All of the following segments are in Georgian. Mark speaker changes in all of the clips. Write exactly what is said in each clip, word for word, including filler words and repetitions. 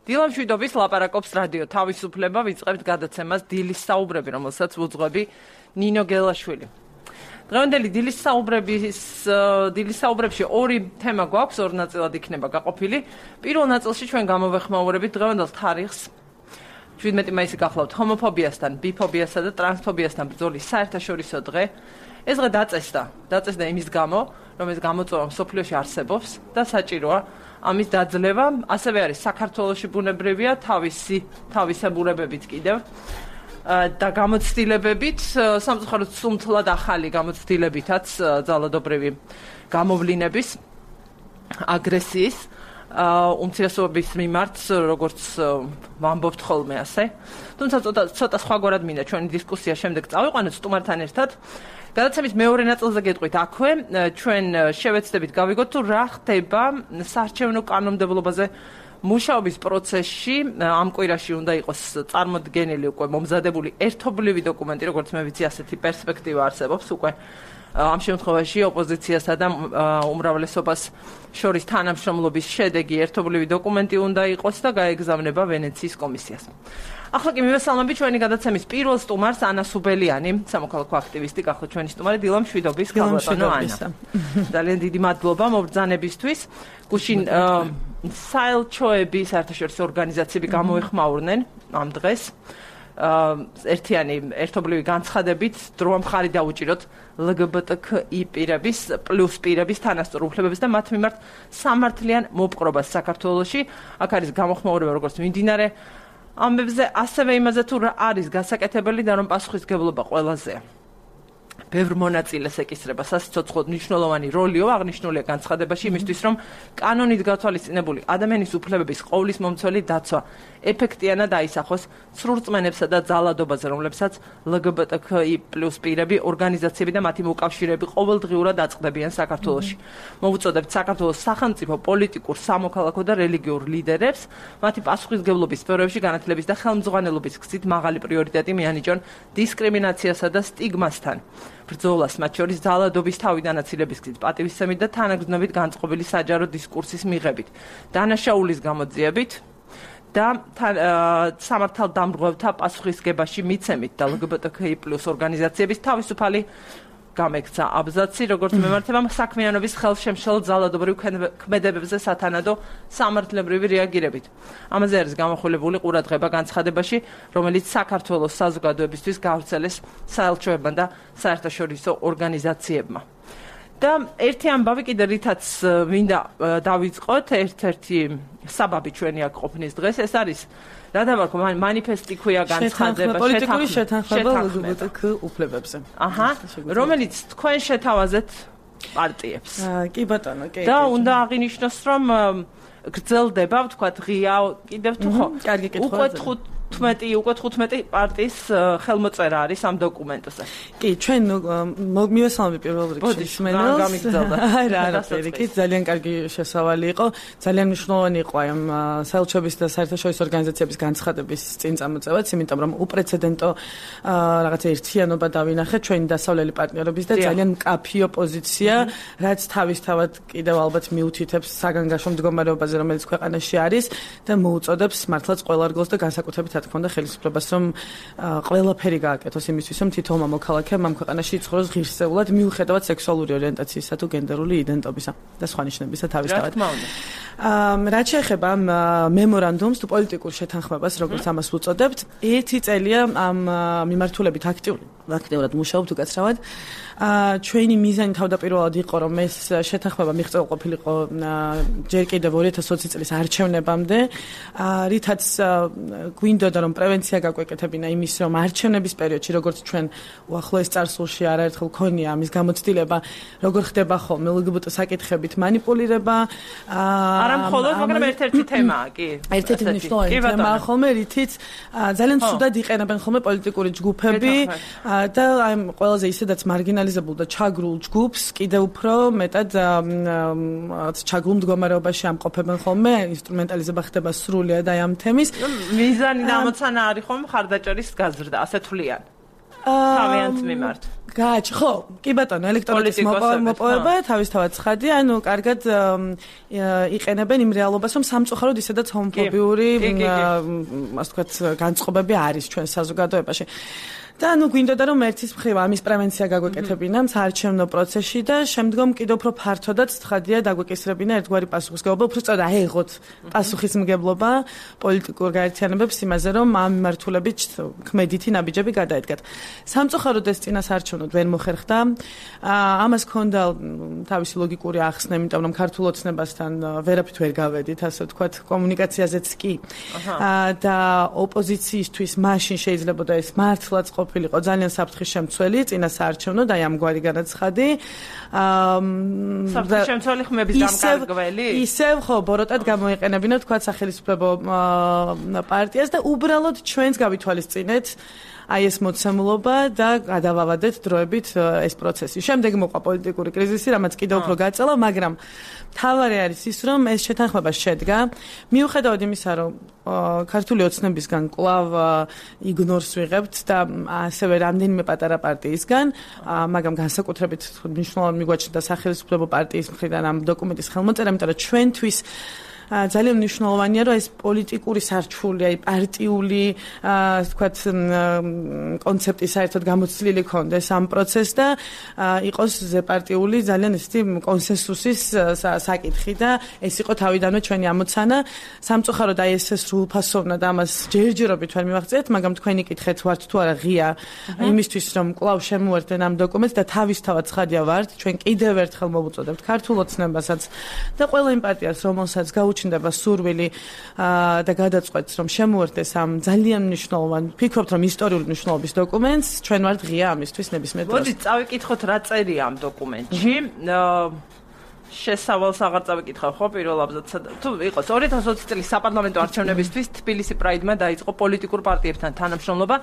Speaker 1: დილა მშვიდობის ლაპარაკობს რადიო თავისუფლება, ვიწყებთ გადაცემას დილის საუბრები, რომელსაც ვუძღვები ნინო გელაშვილი. დღევანდელი დილის საუბრების დილის საუბრებში ორი თემა გვაქვს, ორ ნაწილად იქნება გაყოფილი. პირველ ნაწილში ჩვენ გამოვეხმაურებით დღევანდელ თარიღს. შვიდმეტი მაისი გახლავთ ჰომოფობიასთან, ბიფობიასა და ტრანსფობიასთან ბრძოლის საერთაშორისო დღე. ეს დღე დაწესდა, დაწესდა იმის გამო, რომ ეს გამოწვევა მსოფლიოში არსებობს და საჭიროა ამის დაძლევა. ასევე არის საქართველოში ბუნებრივია თავისი თავისებურებებით კიდევ და გამოცდილებებით, სამწუხაროდ სუმთლად ახალი გამოცდილებითაც ძალადობრივი გამოვლინების, აგრესიის, უმცირესობების მიმართ, როგორც ვამბობთ ხოლმე ასე. თუმცა ცოტა ცოტა სხვაგვარად მინდა ჩვენი დისკუსია შემდეგ წავიყვანოთ სტუმართან ერთად. გადაცემის მეორე ნაწილზე გეტყვით აქვე, ჩვენ შევეცდებით გავიგოთ თუ რა ხდება საარჩევნო კანონმდებლობაზე მუშაობის პროცესში. ამ კვირაში უნდა იყოს წარმოდგენილი უკვე მომზადებული ერთობლივი დოკუმენტი, როგორც მე ვიცი, ასეთი პერსპექტივა არსებობს უკვე ამ შემთხვევაში ოპოზიციასა და უმრავლესობას შორის თანამშრომლობის შედეგი ერთობლივი დოკუმენტი უნდა იყოს და გაეგზავნება ვენეციის კომისიას. ახლა კი მივესალმებით ჩვენი გადაცემის პირველ სტუმარს, ანა სუბელიანი, სამოქალაქო აქტივისტი, გახლავთ ჩვენი სტუმარი. დილა მშვიდობის, გალბატონო ანა. ძალიან დიდი მადლობა მობრძანებისთვის. გუშინ საელჩოები, საერთაშორისო ორგანიზაციები გამოეხმაურნენ ამ დღეს. ერთიანი ერთობლივი განცხადებით დრო მხარი დაუჭიროთ ლგბტკი პირების პლუს პირების თანასწორ უფლებებს და მათ მიმართ სამართლიან მოპყრობას საქართველოში. აქ არის გამოხმაურება როგორც მიმდინარე ამბებზე, ასევე იმაზე თუ რა არის გასაკეთებელი და რომ პასუხისმგებლობა ყველაზე ბევრ მონაწილეს ეკისრება სასიცოცხლოდ მნიშვნელოვანი როლიო აღნიშნულია განცხადებაში იმისთვის, რომ კანონით გათვალისწინებული ადამიანის უფლებების ყოვლის მომცველი დაცვა ეფექტიანად აისახოს სრულწმენებსა და ძალადობაზე, რომლებსაც ლგბტკი პლუს პირები, ორგანიზაციები და მათი მოკავშირეები ყოველდღიურად აწყდებიან საქართველოში. მოვუწოდებთ საქართველოს სახელმწიფო, პოლიტიკურ, სამოქალაქო და რელიგიურ ლიდერებს, მათი პასუხისმგებლობის სფეროებში განათლების და ხელმძღვანელობის გზით მაღალი პრიორიტეტი მიანიჭონ დისკრიმინაციასა და სტიგმასთან. ბრძოლას, მათ შორის ძალადობის თავიდანაცილების გზით, პატივისცემით და თანაგრძნობით განწყობილი საჯარო დისკურსის მიღებით, დანაშაულის გამოძიებით და სამართალდამრღვევთა პასუხისგებაში მიცემით და ლგბტკი პლუს ორგანიზაციების თავისუფალი გამექცა აბზაცი, როგორც მემართებამ საქმიანობის ხელშემშლელ ძალადობრივ ქმედებებზე სათანადო სამართლებრივი რეაგირებით. ამაზე არის გამოხვილებული ყურადღება განცხადებაში, რომელიც საქართველოს საზოგადოებისთვის გავრცელეს საელჩოებმა და საერთაშორისო ორგანიზაციებმა. და ერთი ამბავი კიდე რითაც მინდა დავიწყოთ, ერთ-ერთი საბაბი ჩვენი აქ ყოფნის დღეს, ეს არის რა დავარქვა, მანიფესტი ქვია განცხადება,
Speaker 2: პოლიტიკური შეთანხმება ლგბტკ უფლებებზე.
Speaker 1: აჰა, რომელიც თქვენ შეთავაზეთ პარტიებს.
Speaker 2: კი ბატონო, კი.
Speaker 1: და უნდა აღინიშნოს, რომ გრძელდება, ვთქვათ, ღია კიდევ თუ ხო?
Speaker 2: კარგი კითხვა.
Speaker 1: უკვე თხუთმეტი, უკვე თხუთმეტი პარტიის ხელმოწერა არის ამ დოკუმენტზე.
Speaker 2: კი, ჩვენ მივესალმები პირველ რიგში
Speaker 1: მსმენელს. გამიგრძელდა.
Speaker 2: აი რა, არაფერი, კი, ძალიან კარგი შესავალი იყო. ძალიან მნიშვნელოვანი იყო ამ საელჩოების და საერთაშორისო ორგანიზაციების განცხადების წინ წამოწევაც, იმიტომ რომ უპრეცედენტო რაღაცა ერთიანობა დავინახეთ ჩვენი დასავლელი პარტნიორების და ძალიან მკაფიო პოზიცია, რაც თავისთავად კიდევ ალბათ მიუთითებს საგანგაშო მდგომარეობაზე, რომელიც ქვეყანაში არის და მოუწოდებს მართლაც ყველა რგოლს და განსაკუთრებით რა თქმა უნდა ხელისუფლებას, რომ ყველაფერი გააკეთოს იმისთვის, რომ თითოეულ მოქალაქემ ამ ქვეყანაში იცხოვროს ღირსეულად, მიუხედავად სექსუალური ორიენტაციისა თუ გენდერული იდენტობისა და სხვა ნიშნებისა თავისთავად. რაც შეეხება ამ მემორანდუმს თუ პოლიტიკურ შეთანხმებას, როგორც ამას ვუწოდებთ, ერთი წელია ამ მიმართულებით აქტიური აქტიურად მუშაობთ უკაცრავად. ჩვენი მიზანი თავდაპირველად იყო, რომ ეს შეთანხმება მიღწევა ყოფილიყო ჯერ კიდევ ორი ათას ოცი წლის არჩევნებამდე, რითაც გვინდოდა რომ პრევენცია გაგვეკეთებინა იმის, რომ არჩევნების პერიოდში, როგორც ჩვენ უახლოეს წარსულში არაერთხელ ქონია ამის გამოცდილება, როგორ ხდება ხოლმე ლგბტ საკითხებით манипуლირება,
Speaker 1: არა მხოლოდ, მაგრამ ერთ-ერთი თემაა, კი.
Speaker 2: ერთ-ერთი მნიშვნელოვანი თემაა ხოლმე, რითიც ძალიან ცუდად იყენებენ ხოლმე პოლიტიკური ჯგუფები და აი ყველაზე ისედაც მარგინალიზებულ და ჩაგრულ ჯგუფს კიდევ უფრო მეტად ჩაგრულ მდგომარეობაში ამყოფებენ ხოლმე, ინსტრუმენტალიზება ხდება სრულიად აი ამ თემის.
Speaker 1: მიზანი და ამოცანა არის ხოლმე მხარდაჭერის გაზრდა, ასე თვლიან. თავიანთ მიმართ.
Speaker 2: გააჩ, ხო, კი ბატონო, ელექტრონიკის მოპოვება თავისთავად ცხადია, ანუ კარგად იყენებენ იმ რეალობას, რომ სამწუხაროდ ისედაც ჰომოფობიური, ასე ვთქვათ, განწყობები არის ჩვენ საზოგადოებაში. და ნუ გვინდოდა რომ ერთის მხრივ ამის პრევენცია გაგვეკეთებინა საარჩევნო პროცესში და შემდგომ კიდევ უფრო ფართოდაც ცხადია დაგვეკისრებინა ერთგვარი პასუხისმგებლობა, უფრო სწორად აეღოთ პასუხისმგებლობა პოლიტიკურ გაერთიანებებს იმაზე, რომ ამ მიმართულებით ქმედითი ნაბიჯები გადაედგათ. სამწუხაროდ ეს წინასაარჩევნოდ ვერ მოხერხდა. ამას ჰქონდა თავისი ლოგიკური ახსნა, იმიტომ რომ ქართულ ოცნებასთან ვერაფრით ვერ გავედით, ასე ვთქვათ, კომუნიკაციაზეც კი. და ოპოზიციისთვის მაშინ შეიძლებოდა ეს მართლაც ყოფილიყო ძალიან საფრთხის შემცველი წინასაარჩევნოდ, აი ამგვარი განაცხადი.
Speaker 1: საფრთხის შემცველი ხმების დამკარგველი?
Speaker 2: ისევ ხო, ბოროტად გამოიყენებინა თქვა სახელმწიფო პარტიას და უბრალოდ ჩვენს გავითვალისწინეთ აი ეს მოცემულობა და გადავავადეთ დროებით ეს პროცესი. შემდეგ მოყვა პოლიტიკური კრიზისი, რამაც კიდევ უფრო გაწელა, მაგრამ თავარი არის ის, რომ ეს შეთანხმება შედგა, მიუხედავად იმისა, რომ ქართული ოცნებისგან კვლავ იგნორს ვიღებთ და ასევე რამდენიმე პატარა პარტიისგან, მაგრამ განსაკუთრებით მნიშვნელოვანი მიგვაჩნდა სახელმწიფო პარტიის მხრიდან ამ დოკუმენტის ხელმოწერა, იმიტომ რომ ჩვენთვის ძალიან მნიშვნელოვანია, რომ ეს პოლიტიკური სარჩული, აი პარტიული, ასე ვთქვათ, კონცეფტი საერთოდ გამოცვლილი ქონდეს ამ პროცესს და იყოს ზეპარტიული ძალიან ისეთი კონსენსუსის საკითხი და ეს იყო თავიდანვე ჩვენი ამოცანა. სამწუხაროდ აი ეს სრულფასოვნად ამას ჯერჯერობით ვერ მივაღწიეთ, მაგრამ თქვენი კითხეთ ვართ თუ არა ღია იმისთვის, რომ კვლავ შემოერთდენ ამ დოკუმენტს და თავისთავად ცხადია ვართ, ჩვენ კიდევ ერთხელ მოვუწოდებთ ქართულ ოცნებასაც და ყველა იმ პარტიას, რომელსაც გაუჩნდება სურვილი და გადაწყვეტს, რომ შემოერთდეს ამ ძალიან მნიშვნელოვან, ვფიქრობთ, რომ ისტორიული მნიშვნელობის დოკუმენტს, ჩვენ ვართ ღია ამისთვის ნებისმიერ დროს.
Speaker 1: მოდით წავიკითხოთ რა წერია ამ დოკუმენტში. შესავალს აღარ წავიკითხავ ხო პირველ აბზაცსა თუ იყოს ორი ათას ოცი წლის საპარლამენტო არჩევნებისთვის თბილისი პრაიდმა დაიწყო პოლიტიკურ პარტიებთან თანამშრომლობა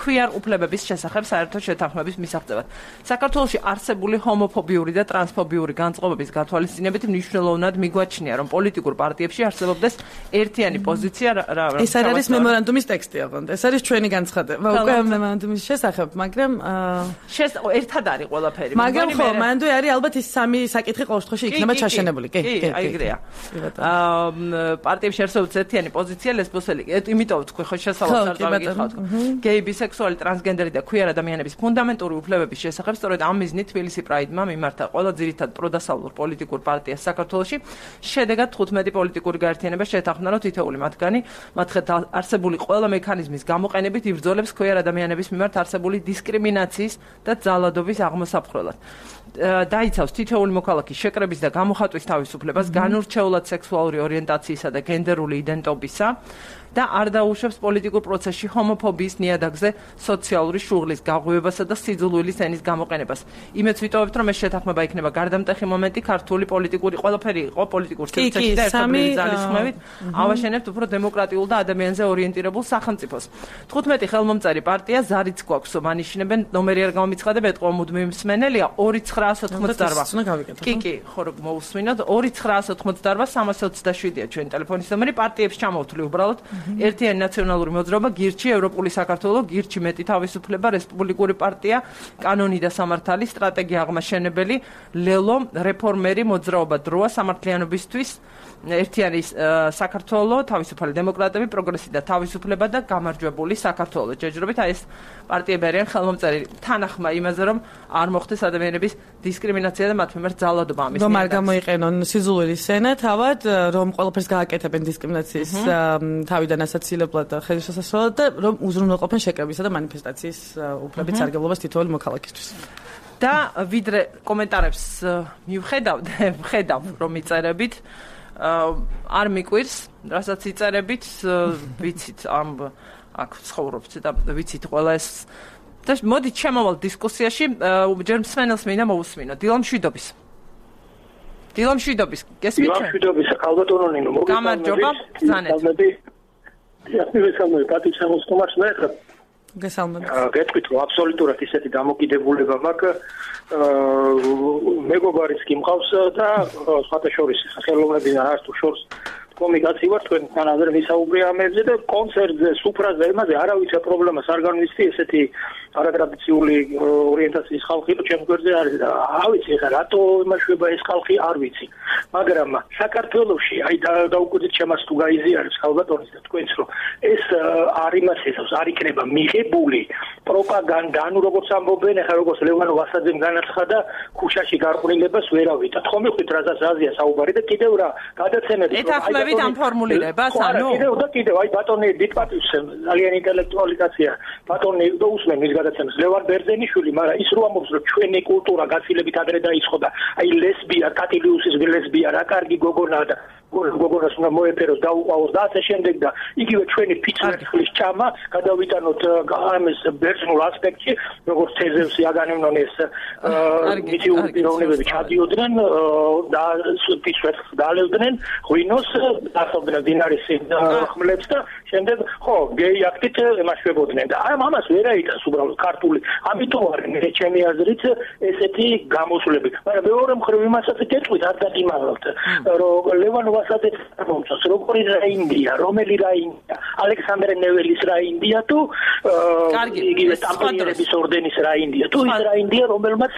Speaker 1: ქვიარ უფლებების შესახებ საერთო შეთანხმების მისაღწევად. საქართველოში არსებული ჰომოფობიური და ტრანსფობიური განწყობების გათვალისწინებით მნიშვნელოვნად მიგვაჩნია, რომ პოლიტიკურ პარტიებში არსებობდეს ერთიანი პოზიცია რა
Speaker 2: ეს არის მემორანდუმის ტექსტი ოღონდ. ეს არის ჩვენი განცხადება. უკვე ამ მემორანდუმის შესახებ, მაგრამ
Speaker 1: შეს ერთად არის ყველაფერი.
Speaker 2: მაგრამ ხო, მანდ არის ალბათ ის სამი საკითხი ყოველ შემთხვევაში იქნება ჩაშენებული. კი,
Speaker 1: კი, აი ეგრეა. აა პარტიებში არსებობს ერთიანი პოზიცია ლესბოსელი. იმიტომ თქვი ხო შესავალს არ დავიკითხავთ. გეი, ბისექსუალი, ტრანსგენდერი და ქვიარ ადამიანების ფუნდამენტური უფლებების შესახებ სწორედ ამ მიზნით თბილისი პრაიდმა მიმართა ყველა ძირითად პროდასავლურ პოლიტიკურ პარტიას საქართველოში. შედეგად თხუთმეტი პოლიტიკური გაერთიანება შეთანხმდა, რომ თითოეული მათგანი მათ არსებული ყველა მექანიზმის გამოყენებით იბრძოლებს ქვიარ ადამიანების მიმართ არსებული დისკრიმინაციის და ძალადობის აღმოსაფხრელად. დაიცავს თითოეული მოქალაქის შეკრების და გამოხატვის თავისუფლებას, განურჩეულად სექსუალური ორიენტაციისა და გენდერული იდენტობისა და არ დაუშვებს პოლიტიკურ პროცესში ჰომოფობიის ნიადაგზე სოციალური შუღლის გაღვივებასა და სიძულვილის ენის გამოყენებას. იმეც ვიტოვებთ, რომ ეს შეთანხმება იქნება გარდამტეხი მომენტი ქართული პოლიტიკური ყველაფერი იყო პოლიტიკურ სივრცეში და ერთობლივი ძალისხმევით ავაშენებთ უფრო დემოკრატიულ და ადამიანზე ორიენტირებულ სახელმწიფოს. თხუთმეტი ხელმომწერი პარტია ზარიც გვაქვს, მანიშნებენ ნომერი არ გამომიცხადებ, ეთყვა მუდმივი მსმენელია ორი ცხრაას ოცდაოთხმოცდაოთხ. კი, კი, ხო რომ მოусმინოთ ორი ცხრაას ოცდაოთხ სამას ოცდაშვიდია ჩვენი ტელეფონის ნომერი. პარტიებს ჩამოვთვლი უბრალოდ ერთიანი ნაციონალური მოძრაობა, გირჩი, ევროპული საქართველო, გირჩი მეტი თავისუფლება, რესპუბლიკური პარტია, კანონი და სამართალი, სტრატეგია აღმაშენებელი, ლელო, რეფორმერი, მოძრაობა დროა, სამართლიანობისთვის, ერთიანი საქართველო, თავისუფალი დემოკრატები, პროგრესი და თავისუფლება და გამარჯვებული საქართველო. ჯერჯერობით აი ეს პარტიები არიან ხელმომწერი თანახმა იმაზე, რომ არ მოხდეს ადამიანების დისკრიმინაცია და მათ მიმართ ძალადობა ამის.
Speaker 2: რომ არ გამოიყენონ სიძულვილის ენა, თავად რომ ყველაფერს გააკეთებენ დისკრიმინაციის თავიდან ასაცილებლად და ხელისასასროლად და რომ უზრუნველყოფენ შეკრებისა და მანიფესტაციის უფლების სარგებლობას თითოეული მოქალაქისთვის.
Speaker 1: და ვიდრე კომენტარებს მივხედავ და ვხედავ რომ იწერებით არ მიკვირს, რასაც იწერებით, ვიცით ამ აქ ცხოვრობთ და ვიცით ყველა ეს და მოდით შემოვალ დისკუსიაში, ჯერ მსმენელს მინდა მოусმინო. დილა მშვიდობის. დილა მშვიდობის. გესმით?
Speaker 3: დილა მშვიდობის, ალბათონო ნინო, მოგესალმებით.
Speaker 1: გამარჯობა, ბრძანეთ.
Speaker 3: იასმევესალმე პატი შემოსტომას ნახეთ.
Speaker 2: გესალმებით.
Speaker 3: გეტყვით რომ აბსოლუტურად ისეთი დამოკიდებულება მაქვს. მეგობარიც კი მყავს და სხვათა შორის ხელოვნებიდან არც თუ შორს კომიკაცი ვარ თქვენთან ადრე ვისაუბრე ამებზე და კონცერტზე, სუფრაზე, იმაზე არავითარ პრობლემას არ განვიცდი, ესეთი არატრადიციული ორიენტაციის ხალხი რო ჩემ გვერდზე არის და არ ვიცი ხა რატო იმაშვება ეს ხალხი არ ვიცი. მაგრამ საქართველოში აი დაუკვირდით ჩემას თუ გაიზიარებს ხალბატონის და თქვენს რომ ეს არ იმას ეზავს, არ იქნება მიღებული პროპაგანდა, ანუ როგორც ამბობენ, ახლა როგორც ლევან ვასაძემ განაცხადა, ქუჩაში გარყვნილებას ვერავით. თქვენ მივხვდით რაზეც აზია საუბარი და კიდევ რა გადაცემები
Speaker 1: ეთანხმებით ამ ფორმულირებას, ანუ
Speaker 3: კიდევ და კიდევ აი ბატონი დიპატის ძალიან ინტელექტუალი კაცია. ბატონი და usmen მის გადაცემას ლევან ბერძენიშვილი, მაგრამ ის რო ამბობს რომ ჩვენი კულტურა გაცილებით ადრე დაიწყო და აი ლესბია, კატილიუსის ლესბია რა კარგი გოგონაა და გოგონას უნდა მოეფეროს დაუყავოს და ასე შემდეგ და იგივე ჩვენი ფიცვერცხლის ჭამა გადავიტანოთ ამის ბერძნულ ასპექტში, როგორც თეზევსი აგანემნონ ეს მითიური პიროვნებები ჩადიოდნენ და ფიცვერცხლს დალევდნენ, ღვინოს დასავდნენ დინარის ხმლებს და შემდეგ ხო გეი აქტით ემაშვებოდნენ და ამ ამას ვერ აიტანს უბრალოდ ქართული. ამიტომ არის მე ჩემი აზრით ესეთი გამოსვლები. მაგრამ მეორე მხრივ იმასაც ეთყვით არ დაგიმაღალთ რომ ლევან ვასაძე მომწონს როგორი რა ინდია, რომელი რა ინდია, ალექსანდრე ნეველის რა ინდია თუ იგივე ტამპლიერების ორდენის რა ინდია თუ ის რა ინდია რომელმაც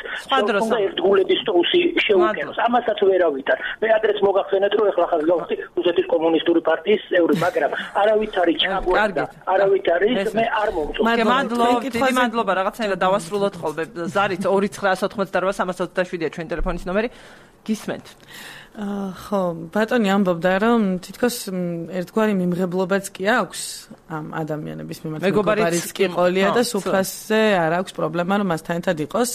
Speaker 3: უნდა ერთგულების ტოუსი შეუკენოს. ამასაც ვერ ავითარ. მე ადრეც მოგახსენეთ რომ ეხლა ხაზგავსი რუსეთის კომუნისტური პარტიის წევრი, მაგრამ არავით არის ჩაგვარდა, არავით არის მე არ მომწონს.
Speaker 1: მადლობა, დიდი მადლობა, რაღაცნაირად დავასრულოთ ხოლმე. ზარით ორი ცხრაას ოთხმოცდაოთხ სამას ოცდაშვიდია ჩვენი ტელეფონის ნომერი. გისმენთ.
Speaker 2: ხო, ბატონი ამბობდა რომ თითქოს ერთგვარი მიმღებლობაც კი აქვს ამ ადამიანების მიმართ, მეგობარიც კი ყოლია და სუფრაზე არ აქვს პრობლემა რომ მასთან ერთად იყოს.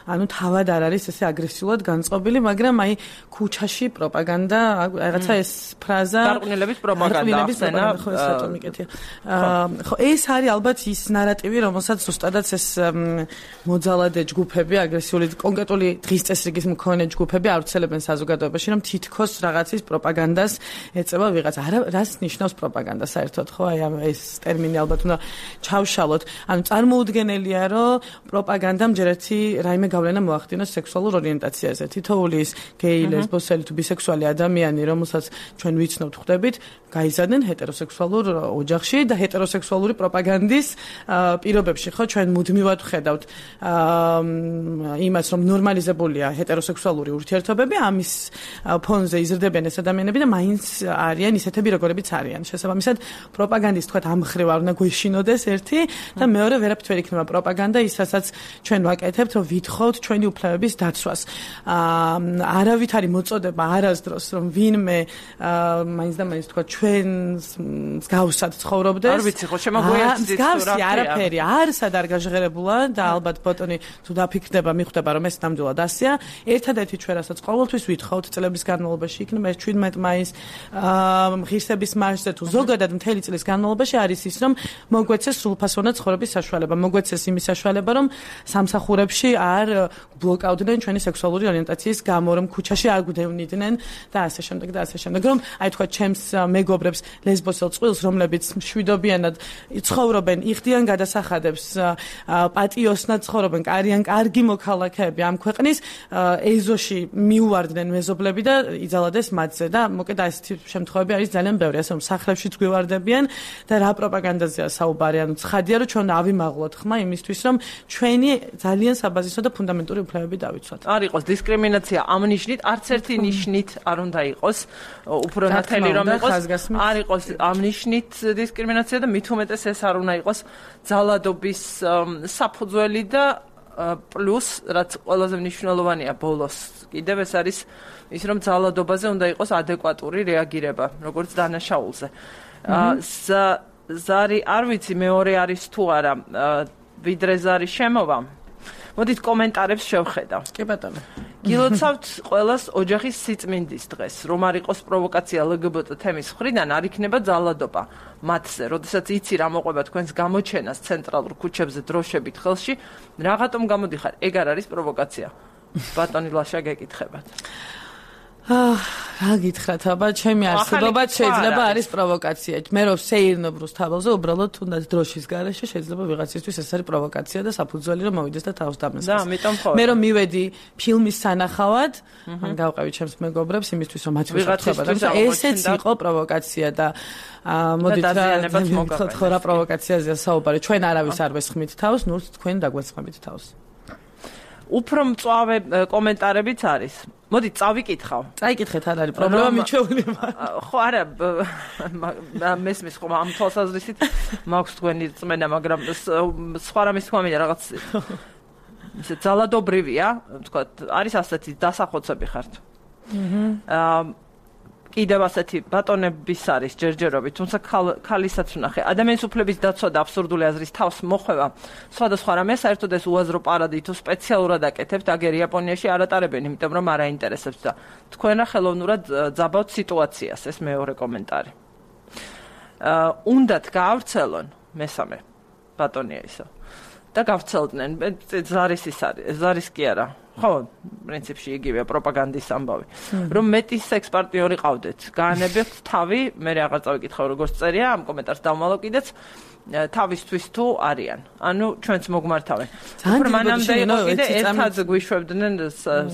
Speaker 2: ანუ თავად არ არის ესე აგრესიულად განწყობილი, მაგრამ აი ქუჩაში პროპაგანდა, რაღაცა ეს ფრაზა
Speaker 1: გარყვნილების პროპაგანდა ახსენა,
Speaker 2: ხო ეს რატომ მიკეთია. ხო, ეს არის ალბათ ის ნარატივი, რომელსაც ზუსტადაც ეს მოძალადე ჯგუფები, აგრესიული კონკრეტული დღის წესრიგის მქონე ჯგუფები ავრცელებენ საზოგადოებაში, რომ თითქოს რაღაცის პროპაგანდას ეწევა ვიღაცა. არა, რას ნიშნავს პროპაგანდა საერთოდ, ხო? აი ეს ტერმინი ალბათ უნდა ჩავშალოთ. ანუ წარმოუდგენელია, რომ პროპაგანდამ ჯერ ერთი რაიმე გავლენა მოახდინოს სექსუალურ ორიენტაციაზე. თითოეული ის გეი, ლესბოსელი თუ ბისექსუალი ადამიანი, რომელსაც ჩვენ ვიცნობთ, ხვდებით, გაიზარდნენ ჰეტეროსექსუალურ ოჯახში და ჰეტეროსექსუალური პროპაგანდის პირობებში, ხო, ჩვენ მუდმივად ვხედავთ იმას, რომ ნორმალიზებულია ჰეტეროსექსუალური ურთიერთობები, ამის ფონზე იზრდებიან ეს ადამიანები და მაინც არიან ისეთები, როგორებიც არიან. შესაბამისად, პროპაგანდის თქვათ ამ მხრივ არ უნდა გვეშინოდეს ერთი და მეორე ვერაფრით ვერ იქნება პროპაგანდა ის, რასაც ჩვენ ვაკეთებთ, რომ ვითხოვთ ჩვენი უფლებების დაცვას. არავით არის მოწოდება არასდროს, რომ ვინმე მაინც და მაინც თქვათ ჩვენს მსგავსად ცხოვრობდეს.
Speaker 1: არ ვიცი, ხო შემოგვიერთდით
Speaker 2: მსგავსი არაფერი არსად არ გაჟღერებულა და ალბათ ბოტონი თუ დაფიქრდება, მიხვდება, რომ ეს ნამდვილად ასეა. ერთადერთი ჩვენ რასაც ყოველთვის ვითხოვთ წლების განმავლობაში იქნება ეს შვიდმეტ მაისს ღირსების მარშზე თუ ზოგადად მთელი წლის განმავლობაში არის ის, რომ მოგვეცეს სრულფასოვანი ცხოვრების საშუალება, მოგვეცეს იმის საშუალება, რომ სამსახურებში არ ბლოკავდნენ ჩვენი სექსუალური ორიენტაციის გამო, რომ ქუჩაში არ გვდევნიდნენ და ასე შემდეგ და ასე შემდეგ. რომ აი თქვა ჩემს მეგობრებს ლესბოსელ წყვილს, რომლებიც მშვიდობიანად ცხოვრობენ, იხდიან გადასახადებს, პატიოსნად ცხოვრობენ, არიან კარგი მოქალაქეები ამ ქვეყნის, ეზოში მიუვარდნენ მეზობლები და იძალადეს მათზე და მოკედ ასეთი შემთხვევები არის ძალიან ბევრი, ასე რომ სახლებშიც გვივარდებიან და რა პროპაგანდაზეა საუბარი, ანუ ცხადია რომ ჩვენ ავიმაღლოთ ხმა იმისთვის, რომ ჩვენი ძალიან საბაზისო და ფუნდამენტური უფლებები დავიცვათ.
Speaker 1: არ იყოს დისკრიმინაცია ამ ნიშნით, არც ერთი ნიშნით არ უნდა იყოს, უფრო ნათელი რომ იყოს, არ იყოს ამ ნიშნით დისკრიმინაცია და მით უმეტეს ეს არ უნდა იყოს ძალადობის საფუძველი და პლუს რაც ყველაზე მნიშვნელოვანია ბოლოს კიდევ ეს არის ის რომ ძალადობაზე უნდა იყოს ადეკვატური რეაგირება როგორც დანაშაულზე. ზარი არ ვიცი მეორე არის თუ არა ვიდრე ზარი შემოვა. მოდით კომენტარებს შევხედავ.
Speaker 2: კი ბატონო.
Speaker 1: გილოცავთ ყველას ოჯახის სიწმინდის დღეს, რომ არ იყოს პროვოკაცია ელ გი ბი ტი თემის მხრიდან, არ იქნება ძალადობა მათზე. როდესაც იცი რა მოყვება თქვენს გამოჩენას ცენტრალურ ქუჩებზე დროშებით ხელში, რაღაცომ გამოდიხარ, ეგ არ არის პროვოკაცია. ბატონი ლაშა გეკითხებათ.
Speaker 2: რა გითხრათ, აბა, ჩემი არსებობა შეიძლება არის პროვოკაცია. მე რომ სეირნობროს თავზე უბრალოდ თუნდაც დროშის გარეშე შეიძლება ვიღაცისთვის ეს არის პროვოკაცია და საფუძველი რომ მოვიდეს და თავს დამესხეს.
Speaker 1: და, ამიტომ ხო.
Speaker 2: მე რომ მივედი ფილმის სანახავად, ან გავყევი ჩემს მეგობრებს იმისთვის რომ მათთვის ვთქვა და ესეც იყო პროვოკაცია და მოდით რა მოგხოთ ხო რა პროვოკაციაზეა საუბარი. ჩვენ არავის არ ვესხმით თავს, ნურს თქვენ დაგვესხმებით თავს.
Speaker 1: უფრო მწვავე კომენტარებიც არის. მოდით წავიკითხავ.
Speaker 2: წაიკითხეთ, არ არის პრობლემა მიჩვეული.
Speaker 1: ხო, არა, მესმის ხომ ამ თვალსაზრისით მაქვს თქვენი წმენა, მაგრამ სხვა რამის თქვა მინდა რაღაც ისე ძალადობრივია, თქვა, არის ასეთი დასახოცები ხართ. აჰა. კიდევ ასეთი ბატონების არის ჯერჯერობით, თუმცა ქალისაც ვნახე. ადამიანის უფლების დაცვა და აბსურდული აზრის თავს მოხვევა სხვადასხვა რამე საერთოდ ეს უაზრო პარადი თუ სპეციალურად აკეთებთ, აგერ იაპონიაში არ ატარებენ, იმიტომ რომ არ აინტერესებს და თქვენ რა ხელოვნურად ძაბავთ სიტუაციას, ეს მეორე კომენტარი. აა უნდათ გაავრცელონ მესამე ბატონია ისო. და გავცელდნენ, ზარის ის არის, ზარის კი არა. ხო, პრინციპში იგივეა პროპაგანდის ამბავი. რომ მეტი სექს პარტნიორი ყავდეთ, გაანებებთ თავი, მე აღარ წავიკითხავ როგორც წერია, ამ კომენტარს დავმალო კიდეც თავისთვის თუ არიან. ანუ ჩვენც მოგმართავენ. მანამდე იყო კიდე ერთად გვიშვებდნენ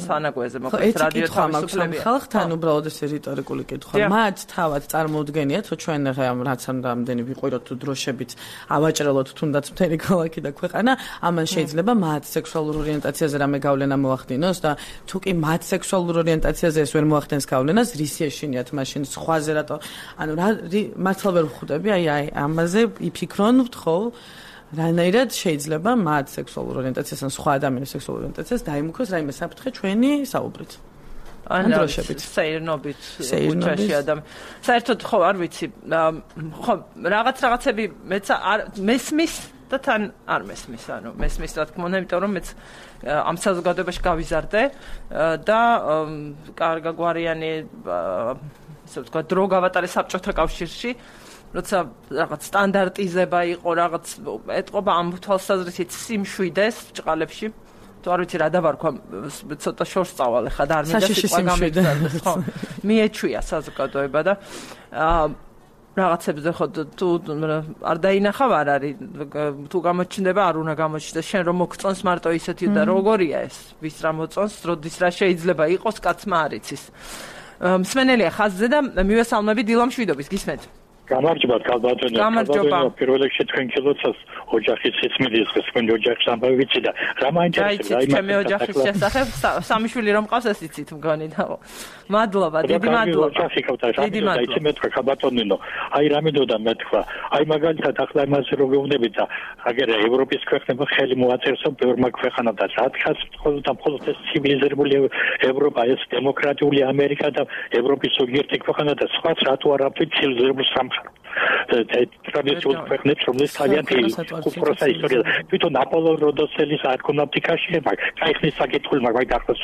Speaker 1: სანაგვეზე, მოკლედ რადიო თავისუფლებია.
Speaker 2: ხალხთან უბრალოდ ეს რიტორიკული კითხვა. მათ თავად წარმოუდგენიათ, რომ ჩვენ რაც ამდენი ვიყვიროთ თუ დროშებით ავაჭრელოთ თუნდაც მთელი ქალაქი და ქვეყანა, ამან შეიძლება მათ სექსუალურ ორიენტაციაზე რამე გავლენა მოახდინოს და თუ კი მათ სექსუალურ ორიენტაციაზე ეს ვერ მოახდენს გავლენას, რის ეშინიათ მაშინ სხვაზე რატო? ანუ რა მართლა ვერ ვხვდები, აი აი ამაზე იფიქრ რონთ ხო რანაირად შეიძლება მათ სექსუალურ ორიენტაციას ან სხვა ადამიანის სექსუალურ ორიენტაციას დაიმუქროს რაიმე საფრთხე ჩვენი საუბრით.
Speaker 1: ან დროშებით, სეირნობით, უჩაში ადამი. საერთოდ ხო არ ვიცი, ხო რაღაც რაღაცები მეც არ მესმის და თან არ მესმის, ანუ მესმის რა თქმა უნდა, იმიტომ რომ მეც ამ საზოგადოებაში გავიზარდე და კარგაგვარიანი ისე ვთქვა დრო გავატარე საბჭოთა კავშირში. როცა რაღაც სტანდარტიზება იყო, რაღაც ეთყობა ამ თვალსაზრისით სიმშვიდეს ჭყალებში. თუ არ ვიცი რა დავარქვა, ცოტა შორს წავალე ხა და არ მინდა სიტყვა გამიგზავნოს, ხო. მიეჩვია საზოგადოება და რაღაცებზე ხო თუ არ დაინახავ არ არის, თუ გამოჩნდება არ უნდა გამოჩნდეს, შენ რომ მოგწონს მარტო ისეთი და როგორია ეს, ვის რა მოწონს, როდის რა შეიძლება იყოს, კაცმა არ იცის. მსმენელია ხაზზე და მივესალმები დილამ შვიდობის, გისმენთ?
Speaker 3: გამარჯობა, ქალბატონო.
Speaker 1: გამარჯობა.
Speaker 3: პირველ რიგში თქვენ კილოცას ოჯახის სიწმინდის თქვენ ოჯახის ამბავი ვიცი და რა მაინტერესებს
Speaker 1: აი ჩემი ოჯახის შესახებ სამი შვილი რომ ყავს ეს იცით მგონი და მადლობა, დიდი მადლობა.
Speaker 3: დიდი მადლობა. იცი მე თქვა ქალბატონო, აი რა მინდოდა მე თქვა, აი მაგალითად ახლა იმას რო გეუბნებით და აგერ ევროპის ქვეყნებმა ხელი მოაწერსო ბევრმა ქვეყანამ და რა თხას მხოლოდ და მხოლოდ ეს ცივილიზებული ევროპა, ეს დემოკრატიული ამერიკა და ევროპის ზოგიერთი ქვეყანა და სხვა რატო არ აქვს ცივილიზებული სამყარო. ტრადიციულ ქვეყნებს, რომელიც ძალიან უпроსა ისტორია. თვითონ აპოლონ როდოსელის არქონავტიკაში კაიხნის საკითხული მაგალითად ახლოს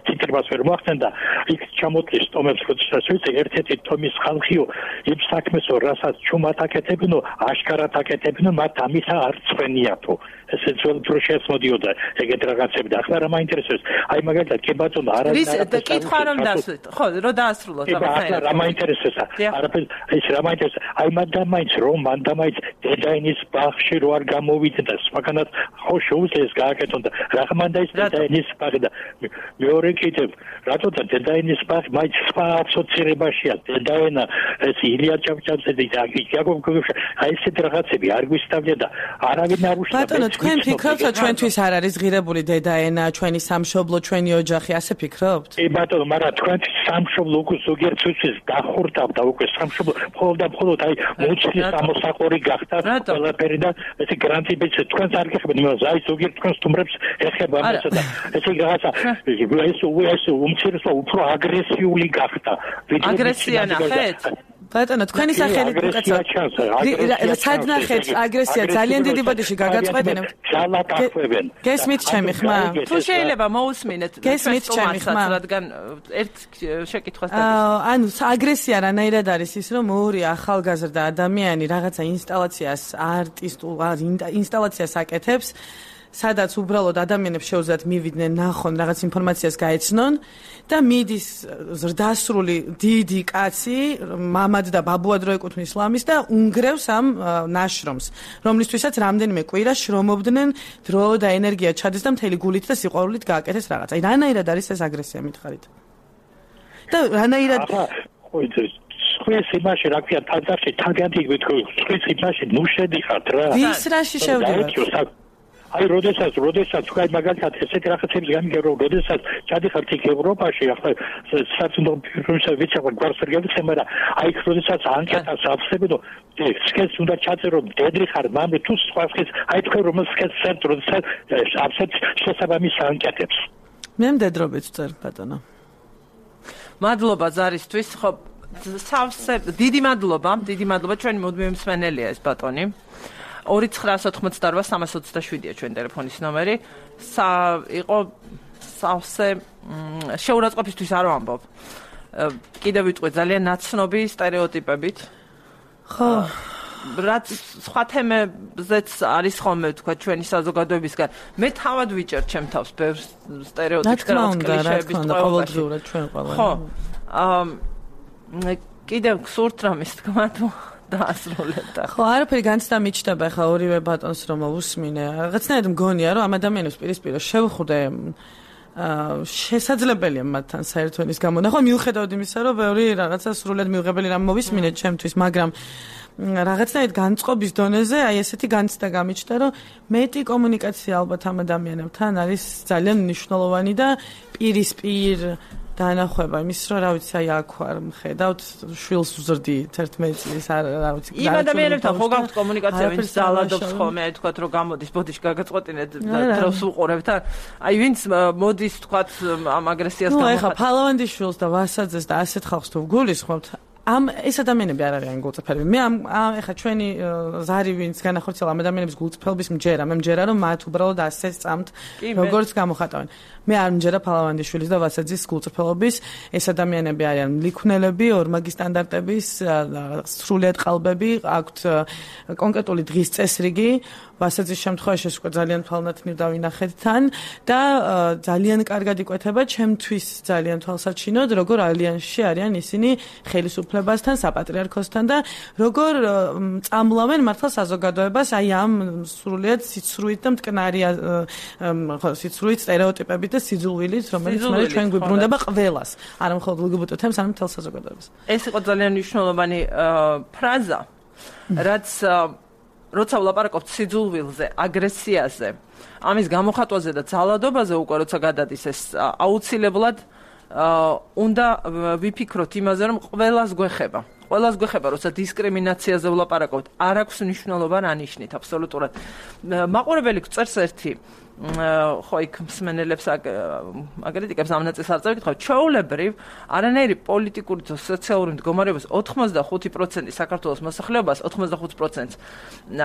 Speaker 3: ციტირებას ვერ მოახდენ და იქ ჩამოთლის ტომებს როდესაც ვიცი ერთ-ერთი ტომის ხალხიო იმ საქმესო რასაც ჩუმად აკეთებინო აშკარად აკეთებინო მათ ამისა არ წვენიათო ესეც wel პროშეს მოდიოდა ეგეთ რაღაცები და ახლა რა მაინტერესებს აი მაგალითად კი ბატონო არ არის
Speaker 1: რა კითხვა რომ დასვით ხო რო დაასრულოთ
Speaker 3: ახლა რა მაინტერესებს არაფერ ის რა მაინტერესებს აი მანდამაინც რომ მანდამაინც დედაინის ბაღში რო არ გამოვიდა სხვაგანაც ხო შეუძლეს გააკეთონ და რა მანდა ის დედაინის ბაღი და მეორე კიდევ რატო და დედაინის ბაღი მაინც სხვა ასოცირებაშია დედაენა ეს ილია ჭავჭავაძე და იაკობ გოგოშა აი ესეთ რაღაცები არ გვისწავლია და არავინ არ უშლა
Speaker 2: ბატონო თქვენ ფიქრობთ რომ ჩვენთვის არ არის ღირებული დედაენა ჩვენი სამშობლო ჩვენი ოჯახი ასე ფიქრობთ?
Speaker 3: კი ბატონო მაგრამ თქვენთვის სამშობლო უკვე ზოგიერთთვის დახურთავდა უკვე სამშობლო მხოლოდ და მხოლოდ აი მუცლის ამოსაყორი გახდა ყველაფერი და ესე გრანტიბიც თქვენს არ გეხებთ იმას აი ზოგიერთ თქვენს თუმრებს ეხება ამასა და ესე რაღაცა ეს ეს უმცირესო უფრო აგრესიული გახდა
Speaker 1: აგრესია ნახეთ
Speaker 2: ბატონო თქვენი სახელით უკაცრავ სად ნახეთ აგრესია ძალიან დიდი ბოდიში გაგაწყვეტენ
Speaker 3: ძალაკახვებენ
Speaker 2: გესმით ჩემი ხმა
Speaker 1: თუ შეიძლება მოусმინეთ
Speaker 2: გესმით ჩემი ხმა
Speaker 1: რადგან ერთ შეკითხვას
Speaker 2: დაგისვენე ანუ აგრესია რანაირად არის ის რომ ორი ახალგაზრდა ადამიანი რაღაცა ინსტალაციას არტისტულ ინსტალაციას აკეთებს სადაც უბრალოდ ადამიანებს შეუძლიათ მივიდნენ, ნახონ, რაღაც ინფორმაციას გაეცნონ და მიდის ზრდასრული დიდი კაცი, მამად და ბაბუად რო ეკუთვნის ლამის და უნგრევს ამ ნაშრომს, რომლისთვისაც რამდენიმე კვირა შრომობდნენ, დრო და ენერგია ჩადეს და მთელი გულით და სიყვარულით გააკეთეს რაღაც. აი, რანაირად არის ეს აგრესია მითხარით? და რანაირად
Speaker 3: ხვის იმაში რა ქვია თანდაში თაგადი გვითხოვ ხვის იმაში ნუ შედიხართ რა
Speaker 2: ვის რაში შევდივართ
Speaker 3: აი როდესაც როდესაც თქვა მაგალითად ესეთი რაღაცები გამიგებრო როდესაც ჩადიხართ იქ ევროპაში ახლა საწუნდო ფირმისა ვიცახარ გვარსერგებს მაგრამ აი როდესაც ანკეტას ავსებდო სქესს უნდა ჩაწერო დედრი ხარ მამე თუ სხვა სქეს აი თქვენ რომ სქესს წერთ როდესაც ავსეთ შესაბამის ანკეტებს
Speaker 2: მე მდედრობით წერ ბატონო
Speaker 1: მადლობა ზარისთვის ხო სავსე დიდი მადლობა დიდი მადლობა ჩვენი მუდმივი მსმენელია ეს ბატონი ორი ცხრაას ოთხმოცდაოთხ სამას ოცდაშვიდია ჩვენი ტელეფონის ნომერი სა იყო სავსე შეურაცხყოფისთვის არ ვამბობ კიდევ ვიტყვი ძალიან ნაცნობი სტერეოტიპებით
Speaker 2: ხო
Speaker 1: რაც სხვა თემებზეც არის ხოლმე თქვა ჩვენი საზოგადოებისგან მე თავად ვიჭერ ჩემ თავს ბევრ სტერეოტიპს და კლიშეების
Speaker 2: ყოველდღიურად ჩვენ ყველა
Speaker 1: ხო კიდევ გსურთ რამის თქვა თუ დაასრულებდა.
Speaker 2: ხო, არაფერი განცდა მიჩნდება ხა ორივე ბატონს რომ უსმინე. რაღაცნაირად მგონია რომ ამ ადამიანებს პირისპირ შევხვდე შესაძლებელია მათთან საერთონის გამონახვა მიუხედავად იმისა რომ ბევრი რაღაცა სრულად მიუღებელი რამ მოვისმინეთ ჩემთვის, მაგრამ რაღაცნაირად განწყობის დონეზე აი ესეთი განცდა გამიჩნდა რომ მეტი კომუნიკაცია ალბათ ამ ადამიანებთან არის ძალიან მნიშვნელოვანი და პირისპირ დაანახება იმის რომ რა ვიცი აი აქ ვარ მხედავთ შვილს ვზრდი თერთმეტი წლის არ რა ვიცი
Speaker 1: იმ ადამიანებთან ხო გაქვთ კომუნიკაცია ვინც ძალადობს ხოლმე აი თქვათ რომ გამოდის ბოდიში გაგაწყვეტინეთ დროს უყურებთ აი ვინც მოდის თქვათ ამ აგრესიას
Speaker 2: გამო ნუ ეხა ფალავანდის შვილს და ვასაძეს და ასეთ ხალხს თუ გულისხმობთ ამ ეს ადამიანები არ არიან გულწრფელები. მე ამ ეხა ჩვენი ზარი ვინც განახორციელა ამ ადამიანების გულწრფელობის მჯერა, მე მჯერა რომ მათ უბრალოდ ასე წამთ როგორც გამოხატავენ. მე არ მჯერა ფალავანდიშვილის და ვასაძის გულწრფელობის, ეს ადამიანები არიან მლიქვნელები, ორმაგი სტანდარტების, სრულიად ყალბები, აქვთ კონკრეტული დღის წესრიგი, ვასაძის შემთხვევაში ეს უკვე ძალიან თვალნათნივ დავინახეთ თან და ძალიან კარგად იკვეთება ჩემთვის ძალიან თვალსაჩინოდ, როგორ ალიანსში არიან ისინი ხელისუფლებასთან, საპატრიარქოსთან და როგორ წამლავენ მართლა საზოგადოებას აი ამ სრულიად სიცრუით და მტკნარი ხო სიცრუით სტერეოტიპებით და სიძულვილით, რომელიც მე ჩვენ გვიბრუნდება ყველას, არა მხოლოდ ლგბტ-თემს, არამედ მთელ საზოგადოებას.
Speaker 1: ეს იყო ძალიან მნიშვნელოვანი ფრაზა, რაც როცა ვლაპარაკობთ სიძულვილზე, აგრესიაზე, ამის გამოხატვაზე და ძალადობაზე უკვე როცა გადადის ეს აუცილებლად უნდა ვიფიქროთ იმაზე, რომ ყველას გვეხება. ყველას გვეხება, როცა დისკრიმინაციაზე ვლაპარაკობთ, არ აქვს მნიშვნელობა რა ნიშნით, აბსოლუტურად. მაყურებელი წერს ერთი ხო იქ მსმენელებს აკრიტიკებს ამ ნაწილს არ წავიკითხავ ჩვეულებრივ არანაირი პოლიტიკური თუ სოციალური მდგომარეობის ოთხმოცდახუთი პროცენტი საქართველოს მოსახლეობას ოთხმოცდახუთ პროცენტს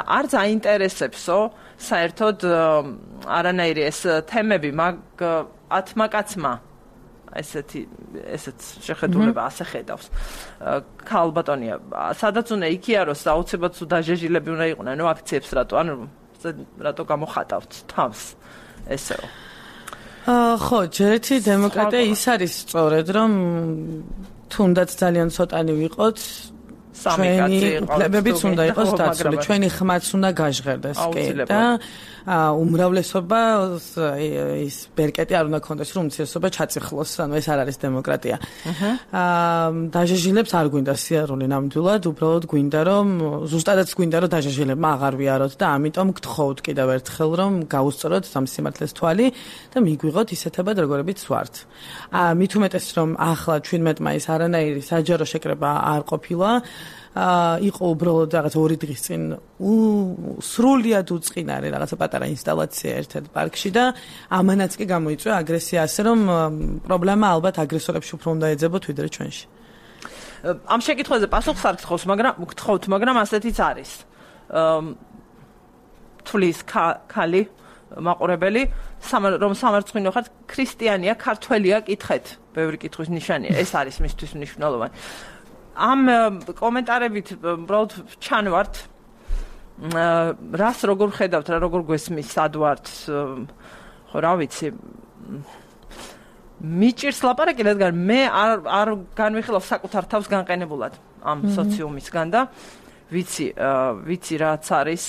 Speaker 1: არც აინტერესებსო საერთოდ არანაირი ეს თემები მაგ ათმა კაცმა ესეთი ესეც შეხედულება ასე ხედავს ქალბატონია სადაც უნდა იქიაროს აუცილებლად თუ დაჟეჟილები უნდა იყვნენ ნუ აქციებს რატო ანუ რატო გამოხატავთ თავს ესეო
Speaker 2: ხო ჯერეთი დემოკრატია ის არის სწორედ რომ თუნდაც ძალიან ცოტანი ვიყოთ ჩვენი უფლებებიც უნდა იყოს დაცული ჩვენი ხმაც უნდა გაჟღერდეს კი და უმრავლესობა ის ბერკეტი არ უნდა კონდეს რომ უმცირესობა ჩაწიხლოს ანუ ეს არ არის დემოკრატია აა დაჟეჟილებს არ გვინდა სიარული ნამდვილად უბრალოდ გვინდა რომ ზუსტადაც გვინდა რომ დაჟეჟილებმა აღარ ვიაროთ და ამიტომ გთხოვთ კიდევ ერთხელ რომ გაუსწოროთ ამ სიმართლეს თვალი და მიგვიღოთ ისეთებად როგორებიც ვართ აა მით უმეტეს რომ ახლა ჩვენმეტ მაის არანაირი საჯარო შეკრება არ ყოფილა აა იყო უბრალოდ რაღაც ორი დღის წინ სრულიად უწყინარი რაღაცა პატარა ინსტალაცია ერთ-ერთ პარკში და ამანაც კი გამოიწვია აგრესია ასე რომ პრობლემა ალბათ აგრესორებში უფრო უნდა ეძებოთ ვიდრე ჩვენში.
Speaker 1: ამ შეკითხვაზე პასუხს არ გთხოვს, მაგრამ გთხოვთ, მაგრამ ასეთიც არის. თulis ქალი მაყურებელი რომ სამარცხვინო ხართ ქრისტიანია, ქართველია, კითხეთ. ბევრი კითხვის ნიშანია. ეს არის მისთვის მნიშვნელოვანი. ამ კომენტარებით უბრალოდ ჩანვართ რას როგორ ხედავთ, რა როგორ გვესმის, სად ვართ, ხო რა ვიცი. მიჭირს ლაპარაკი, რადგან მე არ არ განვიხილავ საკუთარ თავს განყენებულად ამ სოციუმისგან და ვიცი, ვიცი რაც არის,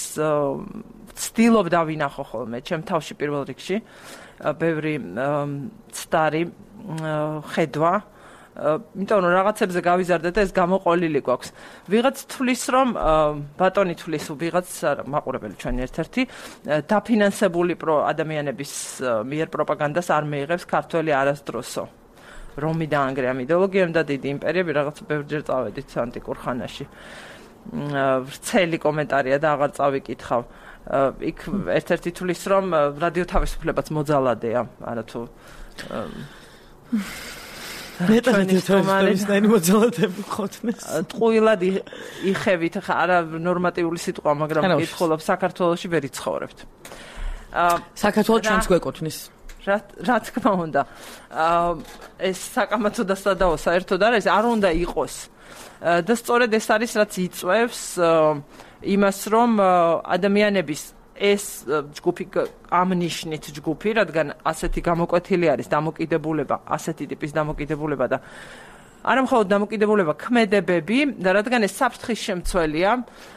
Speaker 1: ვცდილობ დავინახო ხოლმე ჩემ თავში პირველ რიგში, ბევრი ცდარი ხედვა, იმიტომ რომ რაღაცებზე გავიზარდე და ეს გამოყოლილი გვაქვს. ვიღაც თვლის რომ ბატონი თვლის, ვიღაც მაყურებელი ჩვენი ერთ-ერთი დაფინანსებული ადამიანების მიერ პროპაგანდას არ მეიღებს ქართველი არასდროსო. რომი დაანგრია ამ იდეოლოგიამ და დიდი იმპერიები რაღაც ბევრჯერ წავედით ანტიკურ ხანაში. ვრცელი კომენტარია და აღარ წავიკითხავ. იქ ერთ-ერთი თვლის რომ რადიო თავისუფლებაც მოძალადეა, არათუ
Speaker 2: მეტად მოძალადები ყოფნეს.
Speaker 1: ტყუილად იხევით, არა ნორმატიული სიტყვა, მაგრამ კითხულობ საქართველოში ვერ იცხოვრებთ.
Speaker 2: საქართველოს ჩვენც გვეკუთვნის.
Speaker 1: რა რა თქმა უნდა. ეს საკამათო და სადაო საერთოდ არა, ეს არ უნდა იყოს. და სწორედ ეს არის რაც იწვევს იმას, რომ ადამიანების ეს ჯგუფი ამ ნიშნით ჯგუფი, რადგან ასეთი გამოკვეთილი არის დამოკიდებულება, ასეთი ტიპის დამოკიდებულება და არა მხოლოდ დამოკიდებულება, ქმედებები და რადგან ეს საფრთხის შემცველია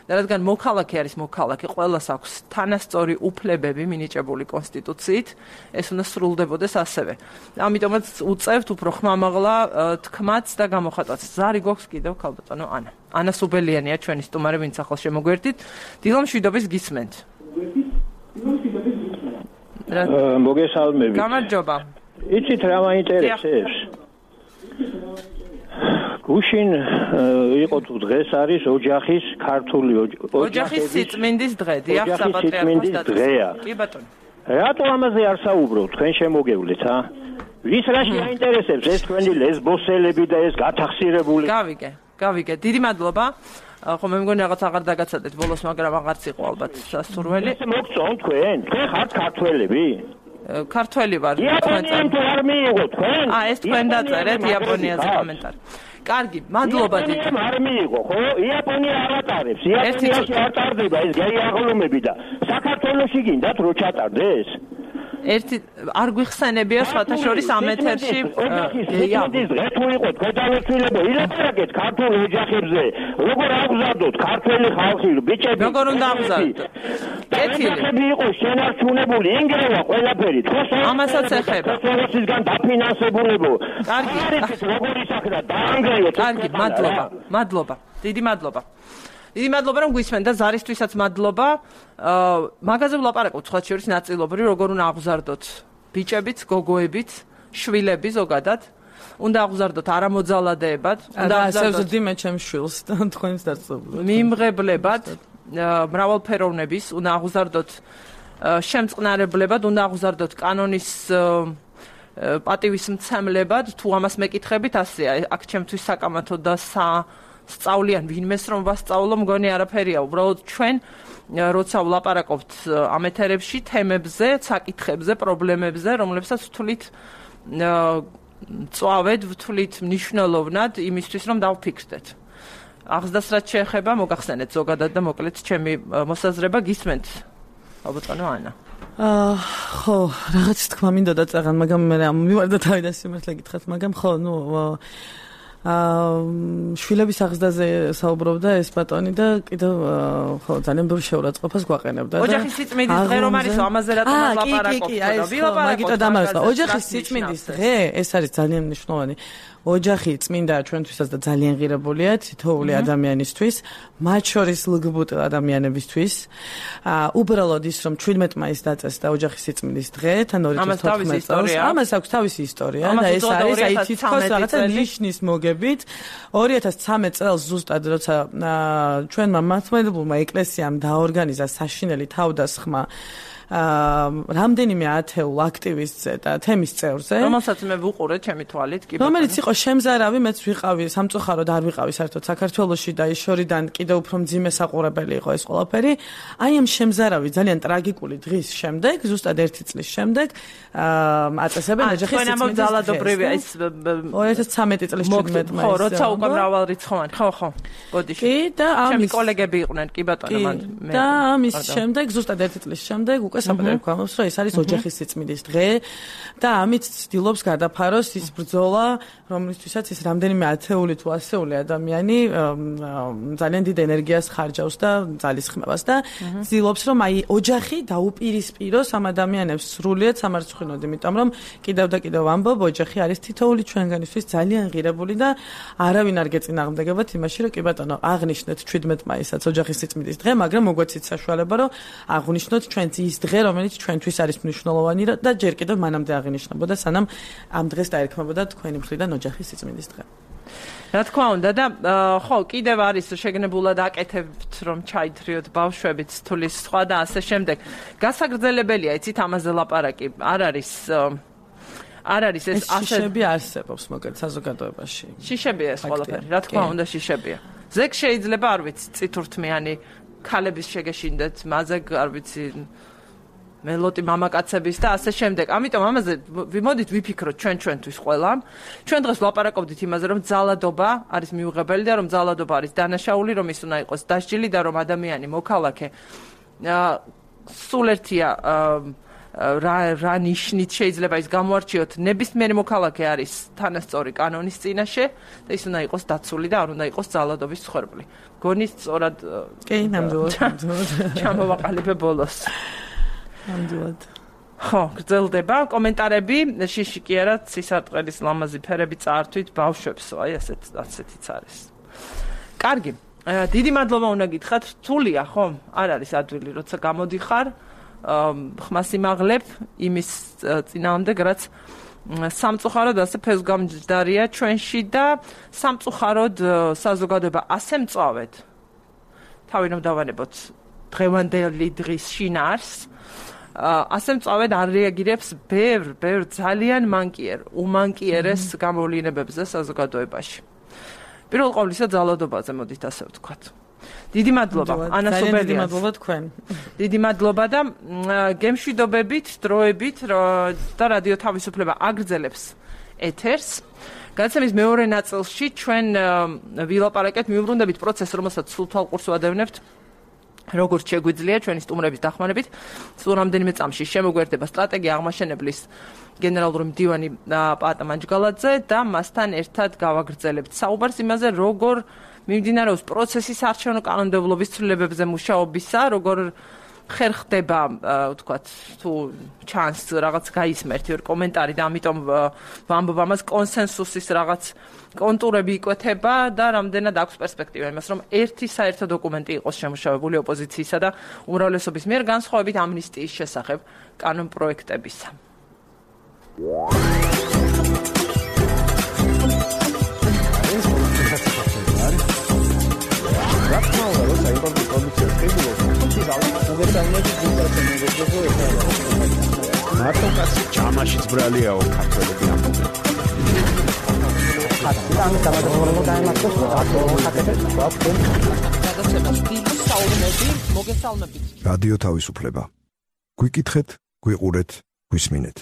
Speaker 1: და რადგან მოქალაქე არის მოქალაქე, ყველას აქვს თანასწორი უფლებები მინიჭებული კონსტიტუციით, ეს უნდა სრულდებოდეს ასევე. ამიტომაც უწევთ უფრო ხმამაღლა თქმაც და გამოხატვაც. ზარი გვაქვს კიდევ ქალბატონო ანა. ანა სუბელიანია ჩვენი სტუმარი, ვინც ახლა შემოგვერდით. დილო მშვიდობის გისმენთ.
Speaker 4: მოგესალმებით.
Speaker 1: გამარჯობა.
Speaker 4: იცით რა მაინტერესებს? გუშინ იყო თუ დღეს არის ოჯახის ქართული
Speaker 1: ოჯახის სიწმინდის დღე, დიახ, საპატრიარქოს
Speaker 4: დღეა.
Speaker 1: კი ბატონო.
Speaker 4: რატო ამაზე არ საუბრობთ? თქვენ შემოგევლეთ, ა? ვის რაში აინტერესებს ეს თქვენი ლესბოსელები და ეს გათახსირებული?
Speaker 1: გავიგე, გავიგე. დიდი მადლობა. ხო მე მგონი რაღაც აღარ დაგაცადეთ ბოლოს, მაგრამ აღარც იყო ალბათ სასურველი.
Speaker 4: ეს მოგწონთ თქვენ? თქვენ ხართ ქართველები?
Speaker 1: ქართველი ვარ.
Speaker 4: იაპონიამ თუ არ მიიღო თქვენ?
Speaker 1: აა ეს თქვენ დაწერეთ იაპონიაზე კომენტარი. კარგი, მადლობა დიდი.
Speaker 4: არ მიიღო, ხო? იაპონია არ ატარებს. იაპონიაში არ ტარდება ეს გეი აღლუმები და საქართველოში გინდათ რო ჩატარდეს?
Speaker 1: ერთი არ გვიხსენებია სხვათა შორის ამ ეთერში
Speaker 4: გეი აღლუმები. თუ იყო გადავეცილებო, ილაპარაკეთ ქართულ ოჯახებზე. როგორ აღზარდოთ ქართველი ხალხი, ბიჭები?
Speaker 1: როგორ უნდა აღზარდოთ?
Speaker 4: კეთილი იყო შენარჩუნებული, ინგრევა ყველაფერი.
Speaker 1: ამასაც ეხება.
Speaker 4: სოციალისტისგან დაფინანსებულებო.
Speaker 1: კარგი,
Speaker 4: როგორ ისახდა დაანგრევოთ.
Speaker 1: კარგი, მადლობა. მადლობა. დიდი მადლობა. დიდი მადლობა რომ გვისმენთ და ზარისთვისაც მადლობა. მაგაზე ვლაპარაკობთ სხვა შორის ნაწილობრივ, როგორ უნდა აღზარდოთ ბიჭებიც, გოგოებიც, შვილები ზოგადად. უნდა აღზარდოთ არამოძალადეებად,
Speaker 2: უნდა აღზარდოთ მე ჩემს შვილს და თქვენს დაწესებულად.
Speaker 1: მიმღებლებად, მრავალფეროვნების, უნდა აღზარდოთ შემწყნარებლებად, უნდა აღზარდოთ კანონის პატივისმცემლებად, თუ ამას მეკითხებით, ასეა, აქ ჩემთვის საკამათო და სწავლიან ვინმეს რომ ვასწავლო, მგონი არაფერია, უბრალოდ ჩვენ როცა ვლაპარაკობთ ამ ეთერებში თემებზე, საკითხებზე, პრობლემებზე, რომლებსაც ვთვლით წვავედ, ვთვლით მნიშვნელოვნად იმისთვის, რომ დავფიქრდეთ. აღზრდას რაც შეეხება, მოგახსენეთ ზოგადად და მოკლედ ჩემი მოსაზრება გისმენთ. ალბათანო ანა.
Speaker 2: აა ხო, რაღაც თქვა მინდა დაწაღან, მაგრამ მე მივარდა თავი და სიმართლე გითხრათ, მაგრამ ხო, ნუ აა შვილების აღზრდაზე საუბრობდა ეს ბატონი და კიდევ ხო ძალიან ბევრი შეურაცხყოფას გვაყენებდა და
Speaker 1: ოჯახის სიწმინდის დღე რომ არის, ამაზე რატომ ლაპარაკობთ?
Speaker 2: კი, კი, აი, მაგიტო დამარცხა. ოჯახის სიწმინდის დღე, ეს არის ძალიან მნიშვნელოვანი. ოჯახი წმინდა ჩვენთვისაც და ძალიან ღირებულია თითოეული ადამიანისთვის, მათ შორის ლგბტ ადამიანებისთვის. აა უბრალოდ ის რომ ჩვიდმეტ მაისს დაწეს და ოჯახის სიწმინდის დღე, თან ორი წლის თოთხმეტ წელს, ამას აქვს თავისი ისტორია და ეს არის აი თითქოს რაღაცა ნიშნის მოგებით. ორი ათას ცხრამეტ წელს ზუსტად როცა ჩვენმა მართლმადიდებლურმა ეკლესიამ დაორგანიზა საშინელი თავდასხმა რამდენიმე ათეულ აქტივისტზე და თემის წევრზე,
Speaker 1: რომელსაც მე ვუყურე ჩემი თვალით, კი ბატონო.
Speaker 2: რომელიც იყო შემზარავი, მეც ვიყავი სამწუხაროდ არ ვიყავი საერთოდ საქართველოში და ის შორიდან კიდევ უფრო მძიმე საყურებელი იყო ეს ყველაფერი. აი ამ შემზარავი ძალიან ტრაგიკული დღის შემდეგ, ზუსტად ერთი წლის შემდეგ, აწესებენ ოჯახის სიწმინდის
Speaker 1: ძალადობრივი ეს
Speaker 2: ორი ათას ცხრამეტი წლის ჩვიდმეტ მაისს.
Speaker 1: ხო, როცა უკვე მრავალრიცხოვანი. ხო, ხო. გოდიში.
Speaker 2: კი და
Speaker 1: ამის კოლეგები იყვნენ, კი ბატონო, მან
Speaker 2: მე. და ამის შემდეგ, ზუსტად ერთი წლის შემდეგ უკვე საპატიო გვამობს, რომ ეს არის ოჯახის სიწმინდის დღე და ამით ცდილობს გადაფაროს ის ბრძოლა, რომლისთვისაც ის რამდენიმე ათეული თუ ასეული ადამიანი ძალიან დიდ ენერგიას ხარჯავს და ძალისხმევას და ცდილობს რომ აი ოჯახი დაუპირისპიროს ამ ადამიანებს სრულიად სამარცხვინოდ, იმიტომ რომ კიდევ და კიდევ ვამბობ, ოჯახი არის თითოეული ჩვენგანისთვის ძალიან ღირებული და არავინ არ გეწინააღმდეგებათ იმაში, რომ კი ბატონო, აღნიშნეთ ჩვიდმეტ მაისსაც ოჯახის სიწმინდის დღე, მაგრამ მოგვეცით საშუალება, რომ აღნიშნოთ ჩვენც ის დღე, რომელიც ჩვენთვის არის მნიშვნელოვანი და ჯერ კიდევ მანამდე აღინიშნებოდა, სანამ ამ დღეს დაერქმებოდა თქვენი მხრიდან ოჯახის სიწმინდის დღე.
Speaker 1: რა თქმა უნდა და ხო, კიდევ არის შეგნებულად აკეთებთ, რომ ჩაითრიოთ ბავშვებით თulis სხვა და ასე შემდეგ. გასაგრძელებელია, იცით, ამაზე ლაპარაკი არ არის არ არის ეს
Speaker 2: ასე შიშები არსებობს მოკლედ საზოგადოებაში.
Speaker 1: შიშებია ეს ყველაფერი, რა თქმა უნდა შიშებია. ზეგ შეიძლება არ ვიცი წითურთმიანი ქალების შეგეშინდეთ, მაზეგ არ ვიცი მელოტი მამაკაცების და ასე შემდეგ. ამიტომ ამაზე ვიმოდით ვიფიქროთ ჩვენ ჩვენთვის ყველა. ჩვენ დღეს ვლაპარაკობდით იმაზე, რომ ძალადობა არის მიუღებელი და რომ ძალადობა არის დანაშაული, რომ ის უნდა იყოს დასჯილი და რომ ადამიანი მოქალაქე სულ ერთია რა რა ნიშნით შეიძლება ის გამოარჩიოთ ნებისმიერი მოქალაქე არის თანასწორი კანონის წინაშე და ის უნდა იყოს დაცული და არ უნდა იყოს ძალადობის მსხვერპლი. გონით სწორად
Speaker 2: კი, ნამდვილად.
Speaker 1: ჩამოვაყალიბე ბოლოს.
Speaker 2: ნამდვილად.
Speaker 1: ხო, გრძელდება კომენტარები, შიში კი არა, ცისარტყელის ლამაზი ფერები წაართვით ბავშვებს, აი ასეთ ასეთიც არის. კარგი. დიდი მადლობა უნდა გითხრათ, რთულია, ხო? არ არის ადვილი, როცა გამოდიხარ, ხმას იმაღლებ იმის წინააღმდეგ, რაც სამწუხაროდ ასე ფესვგამჯდარია ჩვენში და სამწუხაროდ საზოგადოება ასე მწვავედ. თავი რომ დავანებოთ დღევანდელი დღის შინაარს ასე მწავედ არ რეაგირებს ბევრ, ბევრ ძალიან მანკიერ, უმანკიერეს გამოვლინებებზე საზოგადოებაში. პირველ ყოვლისა ძალადობაზე მოდით ასე ვთქვათ. დიდი მადლობა, ანა სუბერიას.
Speaker 2: დიდი მადლობა თქვენ.
Speaker 1: დიდი მადლობა და გემშვიდობებით, დროებით და რადიო თავისუფლება აგრძელებს ეთერს. გადაცემის მეორე ნაწილში ჩვენ ვილაპარაკეთ, მიუბრუნდებით პროცესს, რომელსაც სულ თვალყურს ვადევნებთ. როგორც შეგვიძლია ჩვენი სტუმრების დახმარებით, სულ რამდენიმე წამში შემოგვერდება სტრატეგია აღმაშენებლის გენერალური მდივანი პაატა მანჯგალაძე და მასთან ერთად გავაგრძელებთ საუბარს იმაზე, როგორ მიმდინარეობს პროცესის არჩევნო კანონმდებლობის ცვლილებებზე მუშაობისა, როგორ ხერხდება, ვთქვათ, თუ ჩანს რაღაც გაისმერთი ორ კომენტარი და ამიტომ ვამბობ ამას კონსენსუსის რაღაც კონტურები იკვეთება და რამდენად აქვს პერსპექტივა იმას, რომ ერთი საერთო დოკუმენტი იყოს შემუშავებული ოპოზიციისა და უმრავლესობის მიერ განსხვავებით ამნისტიის შესახებ კანონპროექტებისა.
Speaker 5: მარტო კაცი ჯამაშიც ბრალიაო ქართველები ამბობენ.
Speaker 1: გადაცემას დიდი საუბნები მოგესალმებით.
Speaker 6: რადიო თავისუფლება. გვიკითხეთ, გვიყურეთ, გვისმინეთ.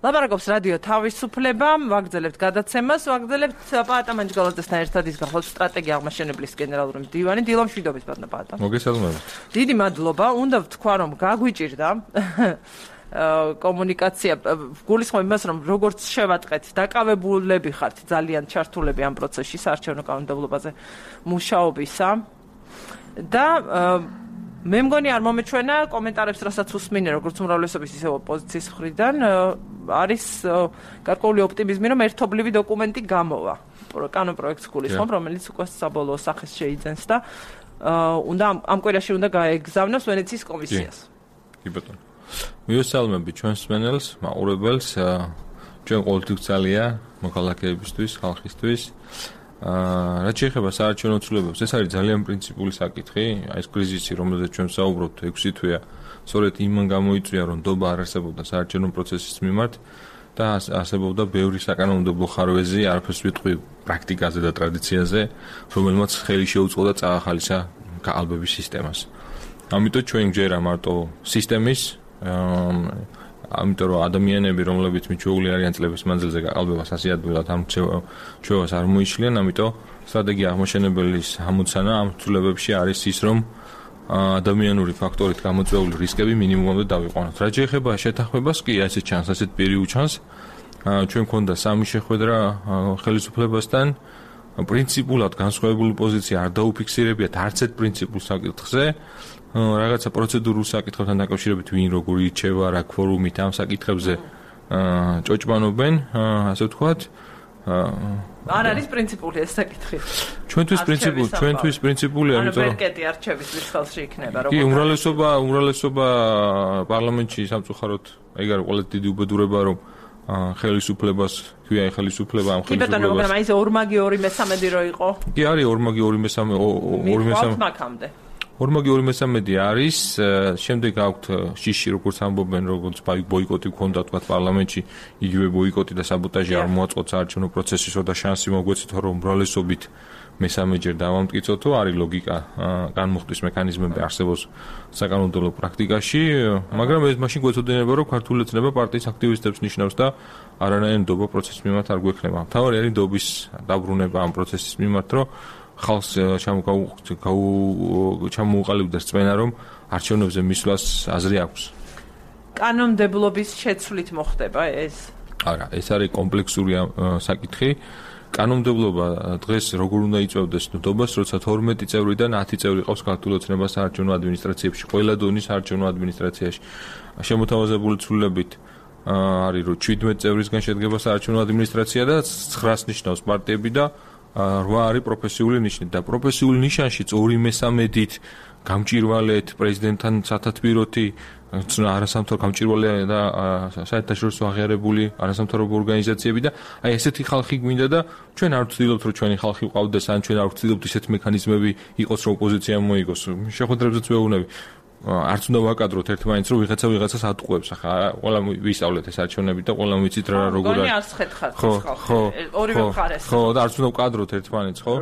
Speaker 1: ლაპარაკობს რადიო თავისუფლება, ვაგრძელებთ გადაცემას, ვაგრძელებთ პაატა მანჯგალაძესთან ერთად ის გახლავთ სტრატეგია აღმაშენებლის გენერალური მდივანი. დილო მშვიდობით ბატონო პაატა.
Speaker 5: მოგესალმებით.
Speaker 1: დიდი მადლობა, უნდა ვთქვა რომ გაგვიჭირდა კომუნიკაცია, გულისხმობ იმას, რომ როგორც შევატყეთ, დაკავებულები ხართ ძალიან ჩართულები ამ პროცესში საარჩევნო კანონმდებლობაზე მუშაობისა და მე მგონი არ მომეჩვენა კომენტარებს, რასაც უსმინე, როგორც უმრავლესობის ისე ოპოზიციის მხრიდან, არის გარკვეული ოპტიმიზმი, რომ ერთობლივი დოკუმენტი გამოვა. კანონპროექტს გულისხმობ, რომელიც უკვე საბოლოო სახეს შეიძენს და უნდა ამ კვირაში უნდა გაეგზავნოს ვენეციის კომისიას.
Speaker 5: კი ბატონო. მივესალმები ჩვენ მსმენელს, მაყურებელს, ჩვენ ყოველთვის ძალია მოქალაქეებისთვის, ხალხისთვის.
Speaker 7: აა რაც შეეხება საარჩევნო ცვლილებებს, ეს არის ძალიან პრინციპული საკითხი. აი ეს კრიზისი, რომელზეც ჩვენ საუბრობთ ექვსი თვეა, სწორედ იმან გამოიწვია, რომ ნდობა არ არსებობდა საარჩევნო პროცესის მიმართ და არსებობდა ბევრი საკანონმდებლო ხარვეზი, არაფერს ვიტყვი პრაქტიკაზე და ტრადიციაზე, რომელმაც ხელი შეუწყო და წაახალისა გაყალბების სისტემას. ამიტომ ჩვენ გჯერა მარტო სისტემის, ამიტომ რომ ადამიანები, რომლებიც მიჩვეული არიან წლების მანძილზე გაყალბებას ასე ადვილად ამ ჩვევას არ მოიშლიან, ამიტომ სტრატეგია აღმოჩენებელის ამოცანა ამ ცვლილებებში არის ის, რომ ადამიანური ფაქტორით გამოწვეული რისკები მინიმუმამდე დავიყვანოთ. რაც შეეხება შეთანხმებას, კი ასე ჩანს, ასეთ პირი უჩანს. ჩვენ მქონდა სამი შეხვედრა ხელისუფლებასთან. პრინციპულად განსხვავებული პოზიცია არ დაუფიქსირებიათ არც ერთ პრინციპულ საკითხზე. რაღაცა პროცედურულ საკითხებთან დაკავშირებით ვინ როგორი ირჩევა, რა ქვორუმით ამ საკითხებზე ჭოჭბანობენ, ასე ვთქვათ.
Speaker 1: არ არის პრინციპული ეს საკითხი.
Speaker 7: ჩვენთვის პრინციპული, ჩვენთვის პრინციპულია,
Speaker 1: იმიტომ რომ მერკეტი არჩევის ვის ხელში იქნება,
Speaker 7: როგორ. კი, უმრავლესობა, უმრავლესობა პარლამენტში სამწუხაროდ ეგ არის ყველაზე დიდი უბედურება, რომ ხელისუფლებას, ქვია ხელისუფლება ამ ხელისუფლებას. კი ბატონო, მაგრამ
Speaker 1: აი ეს ორმაგი ორი მესამედი რო იყო.
Speaker 7: კი არის ორმაგი ორი მესამე ორი მესამე.
Speaker 1: მაქამდე.
Speaker 7: ორმაგი ორი მესამედი არის, შემდეგ აქვთ შიში, როგორც ამბობენ, როგორც ბოიკოტი გქონდა თქვა პარლამენტში, იგივე ბოიკოტი და საბოტაჟი არ მოაწყოთ საარჩევნო პროცესისო და შანსი მოგვეცეთ, რომ უმრავლესობით მესამეჯერ დავამტკიცოთ, არის ლოგიკა, განმუხტვის მექანიზმები არსებობს საკანონმდებლო პრაქტიკაში, მაგრამ ეს მაშინ გვეცოდინება, რომ ქართული ოცნება პარტიის აქტივისტებს ნიშნავს და არანაირი ნდობა პროცესის მიმართ არ გვექნება. მთავარი არის ნდობის დაბრუნება ამ პროცესის მიმართ, რომ ხალხს ჩამოუყალიბდეს წმენა, რომ არჩევნებზე მისვლას აზრი აქვს.
Speaker 1: კანონმდებლობის შეცვლით მოხდება ეს?
Speaker 7: არა, ეს არის კომპლექსური საკითხი. კანონმდებლობა დღეს როგორ უნდა იწევდეს ნდობას, როცა თორმეტი წევრიდან ათი წევრი ყავს ქართული ოცნებას საარჩევნო ადმინისტრაციებში, ყველა დონის საარჩევნო ადმინისტრაციაში. შემოთავაზებული ცვლილებით არის, რომ შვიდმეტი წევრისგან შედგება საარჩევნო ადმინისტრაცია და ცხრას ნიშნავს პარტიები და რვა არის პროფესიული ნიშნით და პროფესიული ნიშანშიც ორი მესამედით გამჭირვალეთ პრეზიდენტთან სათათბიროთი არასამთავრო გამჭირვალე და საერთაშორისო აღიარებული არასამთავრობო ორგანიზაციები და აი ესეთი ხალხი გვინდა და ჩვენ არ ვცდილობთ რომ ჩვენი ხალხი ვყავდეს ან ჩვენ არ ვცდილობთ ისეთ მექანიზმები იყოს რომ ოპოზიცია მოიგოს შეხვედრებზეც ვეუბნები არც უნდა ვაკადროთ ერთმანეთს რომ ვიღაცა ვიღაცას ატყუებს ახლა ყველა ვისწავლეთ ეს არჩევნები და ყველა ვიცით რა როგორ არის
Speaker 1: არც ხეთხარ ხო ორივე მხარეს
Speaker 7: ხო და არც უნდა ვკადროთ ერთმანეთს ხო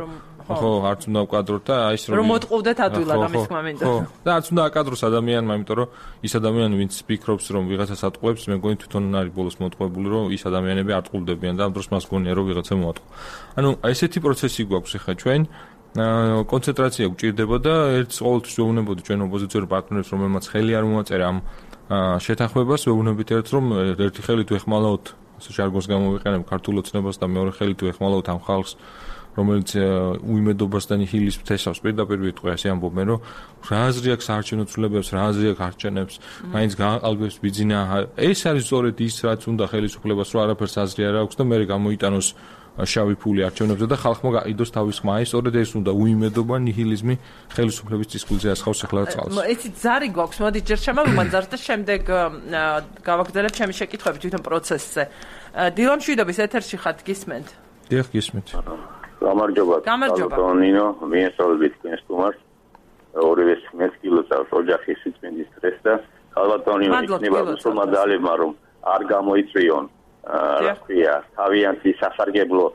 Speaker 7: ხო არც უნდა ვკადროთ და აი ეს
Speaker 1: რომ მოტყუდეთ ადვილად ამის თქმა მინდა
Speaker 7: ხო და არც უნდა აკადროს ადამიანმა იმიტომ რომ ის ადამიანი ვინც ფიქრობს რომ ვიღაცას ატყუებს მე მგონი თვითონ არის ბოლოს მოტყუებული რომ ის ადამიანები არ ტყუდებიან და ამ დროს მას გონია რომ ვიღაცა მოატყო ანუ ესეთი პროცესი გვაქვს ახლა ჩვენ კონცენტრაცია გვჭირდება და ერთს ყოველთვის ვეუბნებოდი ჩვენ ოპოზიციური პარტნიორებს რომელმაც ხელი არ მოაწერა ამ შეთანხმებას ვეუბნებით ერთს რომ ერთი ხელით ვეხმალავთ ასე ჟარგონს გამოვიყენებ ქართულ ოცნებას და მეორე ხელით ვეხმალავთ ამ ხალხს რომელიც უიმედობას და ნიჰილიზმს თესავს პირდაპირ ვიტყვი ასე ამბობენ რომ რა აზრი აქვს საარჩევნო ცვლილებებს რა აზრი აქვს არჩევნებს მაინც გააყალბებს ბიძინა ეს არის სწორედ ის რაც უნდა ხელისუფლებას რომ არაფერს აზრი არ აქვს და მე გამოიტანოს შავი ფული არჩევნებზე და ხალხმა გაიდოს თავის ხმა ეს სწორედ ეს უნდა უიმედობა ნიჰილიზმი ხელისუფლების წისქვილზე ასხავს ახლა წყალს
Speaker 1: იცით ზარი გვაქვს მოდი ჯერ შემოვიყვან ზარს და შემდეგ გავაგრძელებ ჩემი შეკითხვები თვითონ პროცესზე დილამ შვიდობის ეთერში ხართ გისმენთ
Speaker 7: დიახ გისმენთ
Speaker 4: გამარჯობა
Speaker 1: გამარჯობა
Speaker 4: ნინო მიესწავლებით თქვენს სტუმარს ორივე მეც კილოცავს ოჯახის სიწმინდის სტრეს და ხალბატონინო იქნება მოსულმადალებმა რომ არ გამოიწვიონ რა ქვია თავიანთი სასარგებლო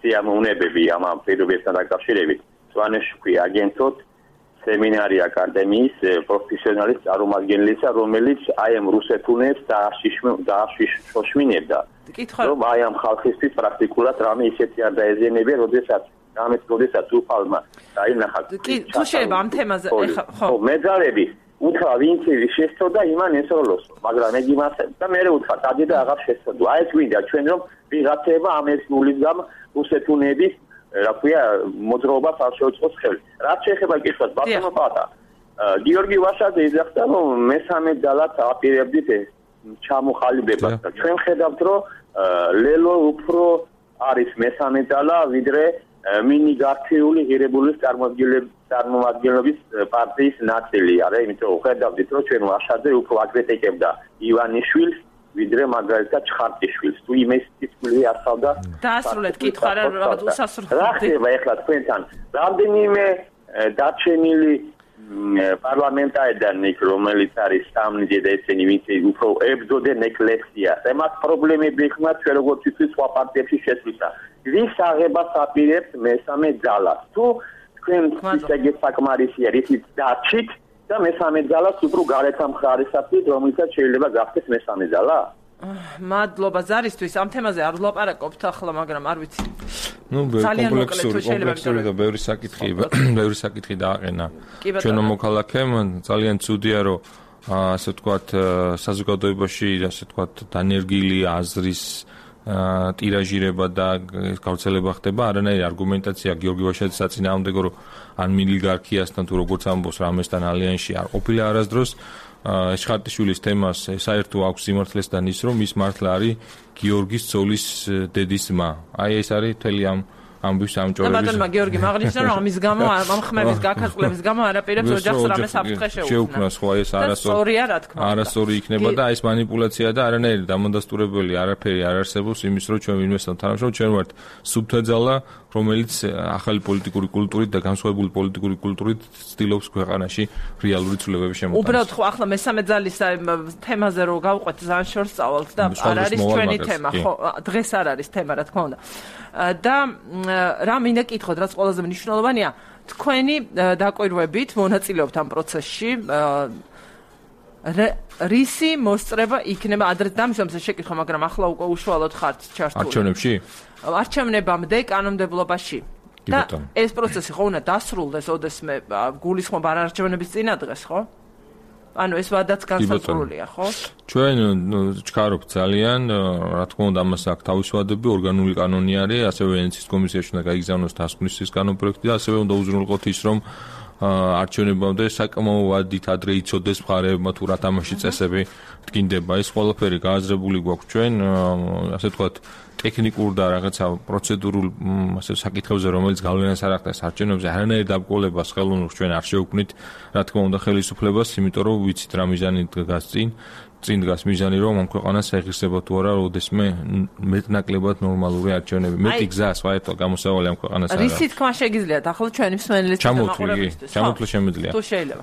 Speaker 4: სიამოვნებები ამ პირობებთან დაკავშირებით სვანეში ქვია აგენტოთ სემინარი აკადემიის პროფესიონალის წარმომადგენლისა რომელიც აი ამ რუსეთუნებს დააშიშმინებდა რომ აი ამ ხალხისთვის პრაქტიკულად რამე ისეთი არ დაეზიანებია როდესაც რამეს როდესაც უფალმა დაინახა
Speaker 1: კი თუ შეიძლება ამ თემაზე
Speaker 4: ხო მეძალები უთხრა ვინც შეცდოდა იმან ესროლოს მაგრამ ეგ იმას და მე უთხრა დადი და აღარ შეცდო აი ეს ვინდა ჩვენ რომ ვიღაცება ამ ერთგულის გამ რუსეთუნების რა ქვია მოძრაობას არ შეუწყოს ხელი რაც შეეხება კითხვას ბატონო პატა გიორგი ვაშაძე იძახდა რომ მესამე ძალად აპირებდით ჩამოხალიბებას და ჩვენ ხედავთ რომ ლელო უფრო არის მესამე ძალა ვიდრე მინი გართიული ღირებულის წარმომადგენლობის პარტიის ნაწილი არა იმიტომ ხედავდით რომ ჩვენ ვაშაძე უფრო აკრიტიკებდა ივანიშვილს ვიდრე მაგალითად ჩხარტიშვილს. თუ იმესტიშვილი ასავდა
Speaker 1: დაასრულეთ კითხვა რა რაღაც უსასრულო.
Speaker 4: რა ხდება ახლა თქვენთან? რამდენიმე დარჩენილი პარლამენტარიდან იქ რომელიც არის სამნიძე და ესენი ვინც უფრო ებრძოდნენ ეკლექსიას. ემას პრობლემები ხმა ჩვენ როგორც ვთქვით სხვა პარტიებში შესვლისა. ვის აღებას აპირებთ მესამე ძალას? თუ თქვენ ისეგეთ საკმარისია რითიც დაჩით და მესამე ძალას უფრო გარეთ ამხარისაფრით რომელსაც შეიძლება გახდეს მესამე ძალა?
Speaker 1: მადლობა ზარისთვის ამ თემაზე არ ვლაპარაკობთ ახლა მაგრამ არ ვიცი.
Speaker 7: ნუ კომპლექსური კომპლექსური და ბევრი საკითხი ბევრი საკითხი დააყენა ჩვენო მოქალაქემ ძალიან ცუდია რომ ასე ვთქვათ საზოგადოებაში ასე ვთქვათ დანერგილი აზრის ტირაჟირება და გავრცელება ხდება არანაირი არგუმენტაცია გიორგი ვაშაძის საწინააღმდეგო რომ ან მილიგარქიასთან თუ როგორც ამბობს რამესთან ალიანსში არ ყოფილა არასდროს შხარტიშვილის თემას საერთო აქვს სიმართლეს და ის რომ ის მართლა არის გიორგის ცოლის დედის ძმა. აი ეს არის მთელი ამ ამბის ამჭორების.
Speaker 1: და ბატონმა გიორგი მაგნიშნა რომ ამის გამო ამ ხმების გაქაცვლების გამო არაპირებს ოჯახს რამეს აფრთხე შეუქმნა.
Speaker 7: შეუქმნა სხვა ეს არასწორი
Speaker 1: რა თქმა უნდა.
Speaker 7: არასწორი იქნება და ეს манипуляცია და არანაირი დამონდასტურებელი არაფერი არ არსებობს იმის რომ ჩვენ ვინმესთან თანამშრომლობთ ჩვენ ვართ სუბთა ძალა რომელიც ახალი პოლიტიკური კულტურით და განსხვავებული პოლიტიკური კულტურით ცდილობს ქვეყანაში რეალური ცვლილებების შემოყვანას.
Speaker 1: უბრალოდ ხო ახლა მესამე ძალის თემაზე რო გავყვეთ ძალიან შორს წავალთ და არ არის ჩვენი თემა ხო დღეს არ არის თემა რა თქმა უნდა. და რა მინდა კითხოთ რაც ყველაზე მნიშვნელოვანია თქვენი დაკვირვებით მონაწილეობთ ამ პროცესში რისი მოსწრება იქნება ადრე დამისვამს შეკითხვა მაგრამ ახლა უკვე უშუალოდ ხართ ჩართული
Speaker 7: არჩევნებში
Speaker 1: არჩევნებამდე კანონმდებლობაში და ეს პროცესი ხო უნდა დასრულდეს ოდესმე გულისხმობა არ არჩევნების წინა დღეს ხო ანუ ეს ვადაც განსაზღვრულია ხო
Speaker 7: ჩვენ ჩქარობთ ძალიან რა თქმა უნდა ამას აქვს თავისი ვადები ორგანული კანონი არის ასევე ვენეციის კომისიაში უნდა გაიგზავნოს დასკვნის კანონპროექტი და ასევე უნდა უზრუნველყოთ ის რომ არჩევნებამდე საკმაო ვადით ადრე იცოდეს მხარეებმა თუ რა თამაში წესები დგინდება ეს ყველაფერი გააზრებული გვაქვს ჩვენ ასე ვთქვათ ტექნიკურ და რაღაცა პროცედურულ ასე საკითხებზე რომელიც გავლენას არ ახდენს არჩევნებზე არანაირ დაბრკოლებას ხელოვნურს ჩვენ არ შევქმნით რა თქმა უნდა ხელისუფლებას იმიტომ რომ ვიცით რა მიზანი დგას წინ წინ დგას მიზანი რომ ამ ქვეყანას ეღირსება თუ არა ოდესმე მეტნაკლებად ნორმალური არჩევნები მეტი გზა საერთოდ გამოსავალი ამ ქვეყანას არა
Speaker 1: რისი თქმა შეგიძლიათ ახლა ჩვენი მსმენელის
Speaker 7: ჩამოთვლილი ჩამოთვლა შემიძლია
Speaker 1: თუ შეიძლება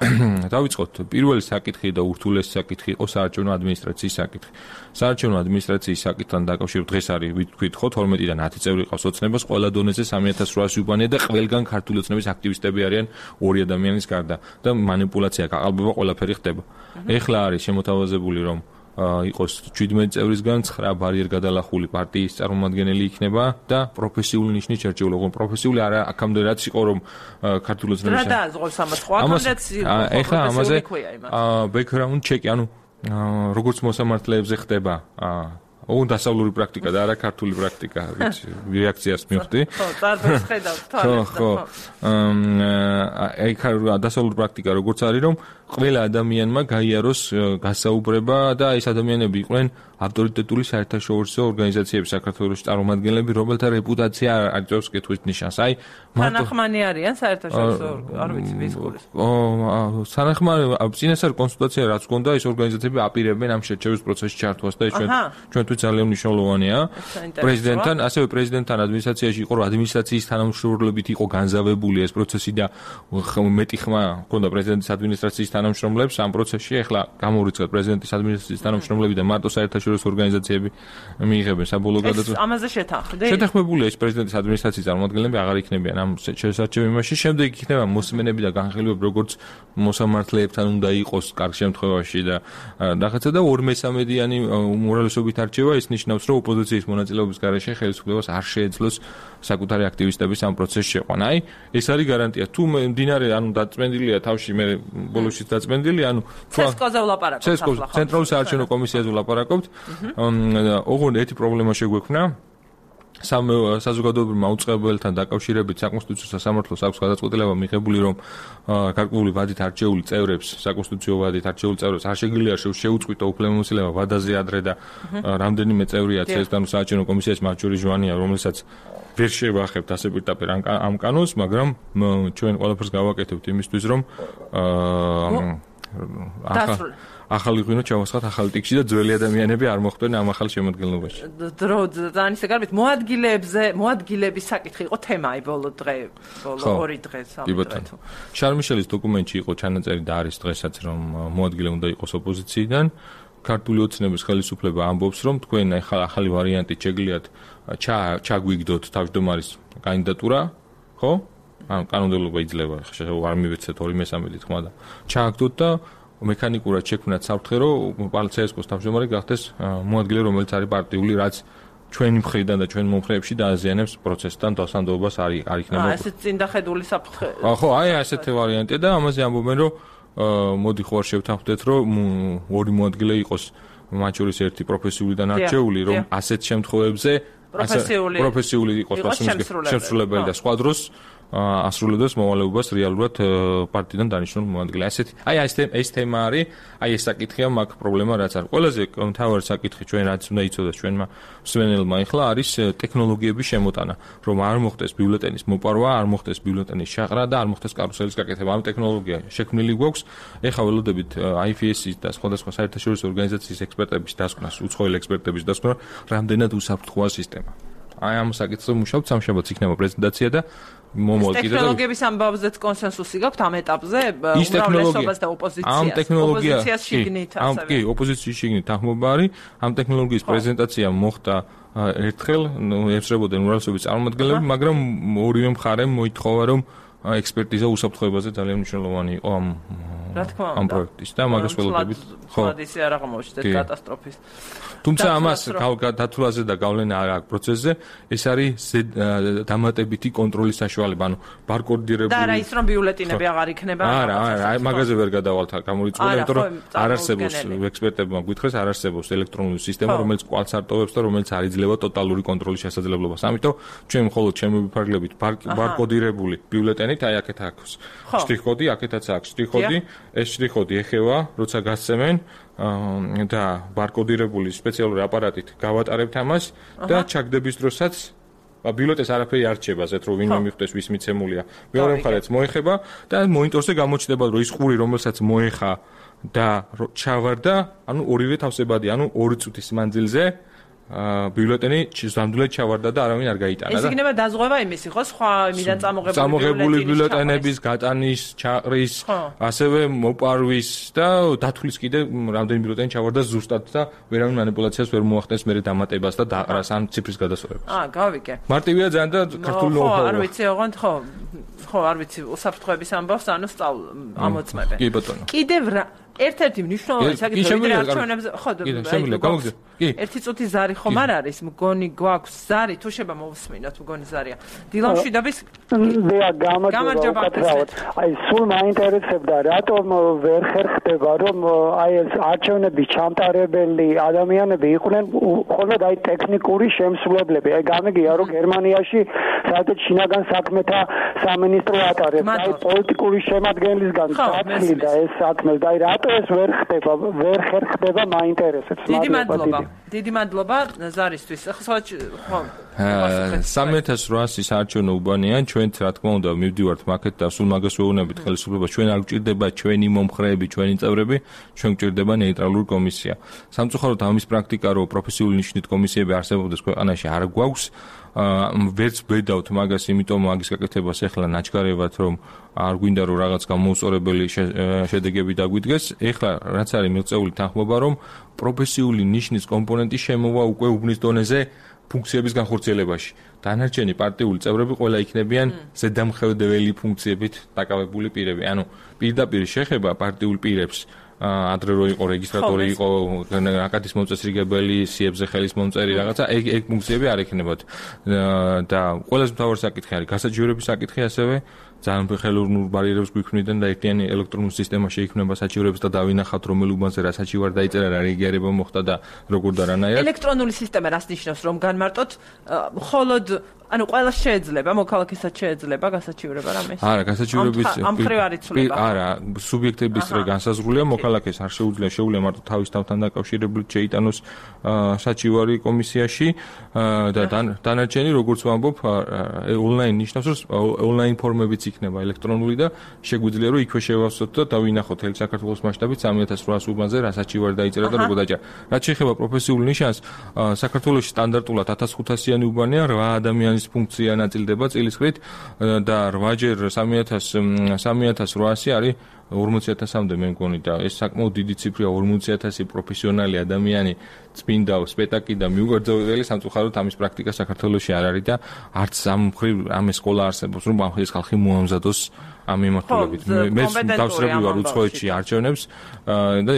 Speaker 7: დავიწყოთ პირველი საკითხი და ურთულესი საკითხი იყო საარჩევნო ადმინისტრაციის საკითხი საარჩევნო ადმინისტრაციის საკითხთან დაკავშირებით დღეს არის ვთქვით ხო თორმეტიდან ათი წევრი ყავს ოცნებას ყველა დონეზე სამი ათას რვაასი უბანია და ყველგან ქართული ოცნების აქტივისტები არიან ორი ადამიანის გარდა და манипуляცია გაყალბება ყველაფერი ხდება ეხლა არის შემოთავაზებული რომ იყოს შვიდმეტი წევრისგან ცხრა ბარიერ გადალახული პარტიის წარმომადგენელი იქნება და პროფესიული ნიშნით შერჩეული ოღონდ პროფესიული არა აქამდე რაც იყო რომ ქართული ოცნების
Speaker 1: რა დააზღვევს ამას ხო აქამდეც
Speaker 7: ეხლა ამაზე ბექგრაუნდ ჩეკი ანუ როგორც მოსამართლეებზე ხდება ოღონდ დასავლური პრაქტიკა და არა ქართული პრაქტიკა ვიცი რეაქციას მივხვდი
Speaker 1: ხო წარბეს ხედავთ
Speaker 7: თვალებს ხო აი ხა დასავლური პრაქტიკა როგორც არის რომ ყველა ადამიანმა გაიაროს გასაუბრება და ეს ადამიანები იყვნენ ავტორიტეტული საერთაშორისო ორგანიზაციების საქართველოს წარმომადგენლები რომელთა რეპუტაცია არ იწევს კითხვის ნიშანს აი
Speaker 1: სანახმანი არიან საერთაშორისო არ ვიცი ვის გულს
Speaker 7: ო სანახმანი წინასწარ კონსულტაცია რაც გქონდა ეს ორგანიზაციები აპირებენ ამ შერჩევის პროცესში ჩართვას და ეს ჩვენ ჩვენთვის ძალიან მნიშვნელოვანია პრეზიდენტთან ასევე პრეზიდენტთან ადმინისტრაციაში იყო ადმინისტრაციის თანამშრომლობით იყო განზავებული ეს პროცესი და მეტი ხმა ჰქონდა პრეზიდენტის ადმინისტრაციის თანამშრომლებს ამ პროცესში ახლა გამორიცხეთ პრეზიდენტის ადმინისტრაციის თანამშრომლები და მარტო საერთაშორისო ორგანიზაციები მიიღებენ საბოლოო გადაწყვეტილებას.
Speaker 1: ამაზე შეთანხმდით?
Speaker 7: შეთანხმებულია ეს პრეზიდენტის ადმინისტრაციის წარმომადგენლები აღარ იქნებიან ამ შესარჩევებაში. შემდეგ იქნება მოსმენები და განხილვები როგორც მოსამართლეებთან უნდა იყოს კარგ შემთხვევაში და რაღაცა და ორ მესამედიანი უმრავლესობით არჩევა ის ნიშნავს რომ ოპოზიციის მონაწილეობის გარეშე ხელისუფლებას არ შეეძლოს საკუთარი აქტივისტების ამ პროცესში შეყვანა. აი ეს არის გარანტია. თუ მდინარე ანუ დაწმენდილია თავში მე ბოლოში დაწმენდილი ანუ
Speaker 1: ცესკოზე ვლაპარაკობთ
Speaker 7: ახლა ცენტრალური საარჩევნო კომისიაზე ვლაპარაკობთ ოღონდ ერთი პრობლემა შეგვექმნა სამ საზოგადოებრივმა უწყებელთან დაკავშირებით საკონსტიტუციო სასამართლოს აქვს გადაწყვეტილება მიღებული რომ გარკვეული ვადით არჩეული წევრებს საკონსტიტუციო ვადით არჩეული წევრებს არ შეგიძლია შეუწყვიტო უფლებამოსილება ვადაზე ადრე და რამდენიმე წევრია ცენტრალურ საარჩევნო კომისიაში მათ შორის ჟვანია რომელსაც ვერ შევახებთ ასე პირდაპირ ამ კანონს მაგრამ ჩვენ ყველაფერს გავაკეთებთ იმისთვის რომ ახალი ღვინო ჩავასხათ ახალი ტიქში და ძველი ადამიანები არ მოხვდნენ ამ ახალ შემოადგენლობაში.
Speaker 1: დრო ძალიან ისე გარბით მოადგილეებზე, მოადგილების საკითხი იყო თემა აი ბოლო დღე, ბოლო ორი დღე, სამი დღე.
Speaker 7: შარმიშელის დოკუმენტში იყო ჩანაწერი და არის დღესაც რომ მოადგილე უნდა იყოს ოპოზიციიდან. ქართული ოცნების ხელისუფლება ამბობს რომ თქვენ ახლა ახალი ვარიანტი შეგლიათ ჩაგვიგდოთ თავმჯდომარის კანდიდატურა, ხო? ან კანონმდებლობა იძლევა, ხო, არ მივეცეთ ორი მესამედი თქმა და ჩააგდოთ და მექანიკურად შექმნათ საფრთხე, რომ პალცეესკოს თავმჯდომარე გახდეს მოადგილე, რომელიც არის პარტიული, რაც ჩვენი მხრიდან და ჩვენ მომხრეებში დააზიანებს პროცესთან დასანდოობას არ არ იქნება.
Speaker 1: აა ესეც წინდახედული საფრთხე.
Speaker 7: ხო, აი ასეთი ვარიანტია და ამაზე ამბობენ, რომ მოდი ხო არ შევთანხმდეთ, რომ ორი მოადგილე იყოს, მათ შორის ერთი პროფესიულიდან არჩეული, რომ ასეთ შემთხვევებზე
Speaker 1: პროფესიული
Speaker 7: პროფესიული იყოს შემსრულებელი და სხვა დროს ასრულებს მოვალეობას რეალურად პარტიიდან დანიშნულ მოადგილე. ასეთი აი ეს ეს თემა არის, აი ეს საკითხია მაგ პრობლემა რაც არის. ყველაზე მთავარი საკითხი ჩვენ რაც უნდა იცოდეთ ჩვენმა მსმენელმა ახლა არის ტექნოლოგიების შემოტანა, რომ არ მოხდეს ბიულეტენის მოპარვა, არ მოხდეს ბიულეტენის შაყრა და არ მოხდეს კარუსელის გაკეთება. ამ ტექნოლოგია შექმნილი გვაქვს. ეხლა ველოდებით აი ეფ ეს-ის და სხვადასხვა საერთაშორისო ორგანიზაციის ექსპერტების დასკვნას, უცხოელი ექსპერტების დასკვნა, რამდენად უსაფრთხოა სისტემა. აი ამ საკითხზე მუშაობთ, სამშაბათს იქნება პრეზენტაცია და მომოალკიდა.
Speaker 1: ტექნოლოგიების ამბავზეც კონსენსუსი გაქვთ ამ ეტაპზე, უმრავლესობას და ოპოზიციას.
Speaker 7: ამ ტექნოლოგია
Speaker 1: ოპოზიციას შიგნით
Speaker 7: ამ კი, ოპოზიციის შიგნით ახმობა არის. ამ ტექნოლოგიის პრეზენტაცია მოხდა ერთხელ, ესწრებოდნენ უმრავლესობის წარმომადგენლები, მაგრამ ორივე მხარემ მოითხოვა, რომ ექსპერტიზა უსაფრთხოებაზე ძალიან მნიშვნელოვანი იყო ამ ამ პროექტის და მაგას ველოდებით.
Speaker 1: ხო, ისე არ აღმოჩნდეთ კატასტროფის.
Speaker 7: თუმცა ამას დათვლაზე და გავლენა არ აქვს პროცესზე, ეს არის დამატებითი კონტროლის საშუალება, ანუ ბარკოდირებული.
Speaker 1: და რა ის რომ ბიულეტინები აღარ იქნება?
Speaker 7: არა, არა, მაგაზე ვერ გადავალთ გამორიცხული, იმიტომ რომ არ არსებობს ექსპერტებმა გითხრეს, არ არსებობს ელექტრონული სისტემა, რომელიც კვალს არტოვებს და რომელიც არ იძლევა ტოტალური კონტროლის შესაძლებლობას. ამიტომ ჩვენ მხოლოდ შემოვიფარგლებით ბარკოდირებული ბიულეტენით, აი აქეთ აქვს შტრიხ-კოდი, აქეთაც აქვს შტრიხ-კოდი, ეს შტრიხ-კოდი ეხება, როცა გასცემენ და ბარკოდირებული სპეციალური აპარატით გავატარებთ ამას და ჩაგდების დროსაც ბიულეტენს არაფერი არ რჩება, ზეთ რომ ვინმე მიხვდეს ვის მიცემულია. მეორე მხარეც მოეხება და მონიტორზე გამოჩნდება, რომ ის ყური, რომელსაც მოეხა და ჩავარდა, ანუ ორივე თავსებადია, ანუ ორი წუთის მანძილზე ბიულეტენი ნამდვილად ჩავარდა და არავინ არ გაიტანა.
Speaker 1: ეს იქნება დაზღვევა იმისი, ხო, სხვა იმიდან წამოღებული
Speaker 7: წამოღებული ბიულეტენების გატანის, ჩაყრის, ასევე მოპარვის და დათვლის კიდე რამდენი ბიულეტენი ჩავარდა ზუსტად და ვერავინ მანიპულაციას ვერ მოახდენს მერე დამატებას და დაყრას ან ციფრის გადასწორებას.
Speaker 1: აა, გავიგე.
Speaker 7: მარტივია ძალიან და ქართული ნოუ-ჰაუ.
Speaker 1: ხო, არ ვიცი, ოღონდ ხო. ხო, არ ვიცი, უსაფრთხოების ამბავს ანუ სწავლ ამოწმებენ.
Speaker 7: კი ბატონო.
Speaker 1: კიდევ რა ერთ-ერთი მნიშვნელოვანი საკითხი ვიდრე არჩევნებზე ხო
Speaker 7: და კი
Speaker 1: ერთი წუთი ზარი ხომ არ არის მგონი გვაქვს ზარი თუ შეიძლება მოვსმინოთ მგონი ზარია დილამშვიდობის
Speaker 3: დია გამარჯობა აი სულ მაინტერესებდა რატომ ვერ ხერხდება რომ აი ეს არჩევნების ჩამტარებელი ადამიანები იყვნენ მხოლოდ აი ტექნიკური შემსრულებლები აი გამიგია რომ გერმანიაში საერთოდ შინაგან საქმეთა სამინისტრო ატარებს აი პოლიტიკური შემადგენლისგან დაცლი და ეს საქმე და აი რატო ეს ვერ ხდება ვერ ხერხდება მაინტერესებს
Speaker 1: დიდი მადლობა დიდი მადლობა ზარისთვის ხო
Speaker 7: სამი ათას რვასი საარჩევნო უბანიან ჩვენ რა თქმა უნდა მივდივართ მაკეთ და სულ მაგას ვეუბნებით ხელისუფლებას ჩვენ არ გვჭირდება ჩვენი მომხრეები ჩვენი წევრები ჩვენ გვჭირდება ნეიტრალური კომისია სამწუხაროდ ამის პრაქტიკა რო პროფესიული ნიშნით კომისიები არსებობდეს ქვეყანაში არ გვაქვს ვერც ვედავთ მაგას იმიტომ მაგის გაკეთებას ეხლა ნაჩქარებად რომ არ გვინდა რომ რაღაც გამოუწორებელი შედეგები დაგვიდგეს ეხლა რაც არის მიღწეული თანხმობა რომ პროფესიული ნიშნის კომპონენტი შემოვა უკვე უბნის დონეზე ფუნქციების განხორციელებაში. დანარჩენი პარტიული წევრები ყველა იქნებიან ზედამხედველი ფუნქციებით დაკავებული პირები. ანუ პირდაპირ შეხება პარტიულ პირებს ადრე რო იყო რეგისტრატორი იყო აკადის მოწესრიგებელი სიებზე ხელის მომწერი რაღაცა ეგ ეგ ფუნქციები არ ექნებათ და ყველაზე მთავარი საკითხი არის გასაჩივრების საკითხი ასევე ძალიან ხელოვნურ ბარიერებს გვიქმნიდან და ერთიანი ელექტრონული სისტემა შეიქმნება საჩივრებს და დავინახავთ რომელ უბანზე რა საჩივარ დაიწერა რა რეგიარება მოხდა და როგორ და რანაირად
Speaker 1: ელექტრონული სისტემა რას ნიშნავს რომ განმარტოთ მხოლოდ ანუ ყველა შეიძლება მოქალაქესაც შეიძლება გასაჩივრება რამეს
Speaker 7: არა გასაჩივრების
Speaker 1: ამ ხრივ არ იცვლება
Speaker 7: არა სუბიექტების წრე განსაზღვრულია მოქალაქეს არ შეუძლია შეუძლია მარტო თავის თავთან დაკავშირებული შეიტანოს საჩივარი კომისიაში და დანარჩენი როგორც ვამბობ ონლაინ ნიშნავს რომ ონლაინ ფორმებიც იქნება ელექტრონული და შეგვიძლია რომ იქვე შევავსოთ და დავინახოთ ელ საქართველოს მასშტაბით სამი ათას რვაას უბანზე რასაც ვარ დაიწერა და როგორ დაიჭერა. რაც შეეხება პროფესიულ ნიშანს, საქართველოში სტანდარტულად ათას ხუთასიანი უბანია, რვა ადამიანის ფუნქცია ნაწილდება წილისყრით და რვაჯერ სამი ათას რვაასი არის ორმოცი ათასამდე მე მგონი და ეს საკმაოდ დიდი ციფრია ორმოცი ათასი პროფესიონალი ადამიანი წმინდა სპექტაკლი და მიუგრძელი სამწუხაროდ ამის პრაქტიკა საქართველოში არ არის და არც ამ მხრივ ამ სკოლა არსებობს რომ ამ ხის ხალხი მოამზადოს ამ მიმართულებით. მე დავსრები ვარ უცხოეთში არჩევნებს და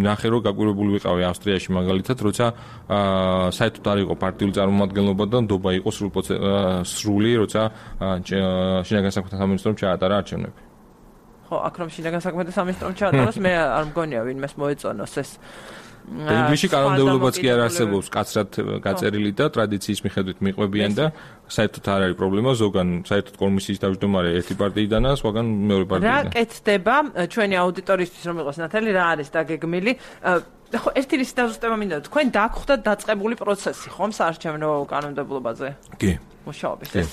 Speaker 7: ნახე რომ გაკვირვებული ვიყავი ავსტრიაში მაგალითად როცა საერთოდ არ იყო პარტიული წარმომადგენლობა და ნდობა იყო სრული როცა შინაგან საქმეთა სამინისტრომ ჩაატარა არჩევნები.
Speaker 1: ხო, აქ რომ შინაგან საქმეთა სამინისტრომ ჩაატაროს, მე არ მგონია ვინმეს მოეწონოს ეს.
Speaker 7: ინგლისში კანონმდებლობაც კი არ არსებობს კაცრად გაწერილი და ტრადიციის მიხედვით მიყვებიან და საერთოდ არ არის პრობლემა, ზოგან საერთოდ კომისიის თავმჯდომარე ერთი პარტიიდანაა, სხვაგან მეორე პარტიიდან.
Speaker 1: რა კეთდება ჩვენი აუდიტორისთვის რომ იყოს ნათელი, რა არის დაგეგმილი? ხო, ერთი რისი დაზუსტება მინდა, თქვენ დაგხვდათ დაწყებული პროცესი, ხომ საარჩევნო კანონმდებლობაზე?
Speaker 7: კი.
Speaker 1: მუშაობის ეს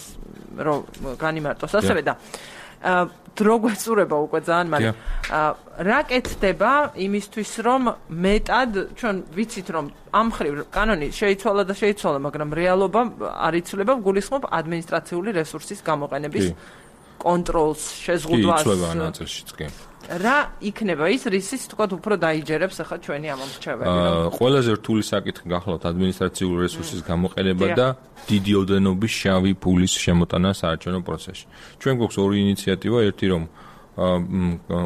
Speaker 1: რომ განიმარტოს ასევე და დრო გვეწურება უკვე ძალიან, მაგრამ რა კეთდება იმისთვის, რომ მეტად ჩვენ ვიცით, რომ ამ მხრივ კანონი შეიცვალა და შეიცვალა, მაგრამ რეალობა არ იცვლება, გულისხმობ ადმინისტრაციული რესურსის გამოყენების კონტროლს, შეზღუდვას.
Speaker 7: კი, იცვლება ნაწილშიც კი.
Speaker 1: რა იქნება ის, რისიც თქვათ უფრო დაიჯერებს ახლა ჩვენი ამომრჩეველი?
Speaker 7: ყველაზე რთული საკითხი გახლავთ ადმინისტრაციული რესურსის გამოყენება და დიდი ოდენობის შავი ფულის შემოტანა საარჩევნო პროცესში. ჩვენ გვაქვს ორი ინიციატივა, ერთი რომ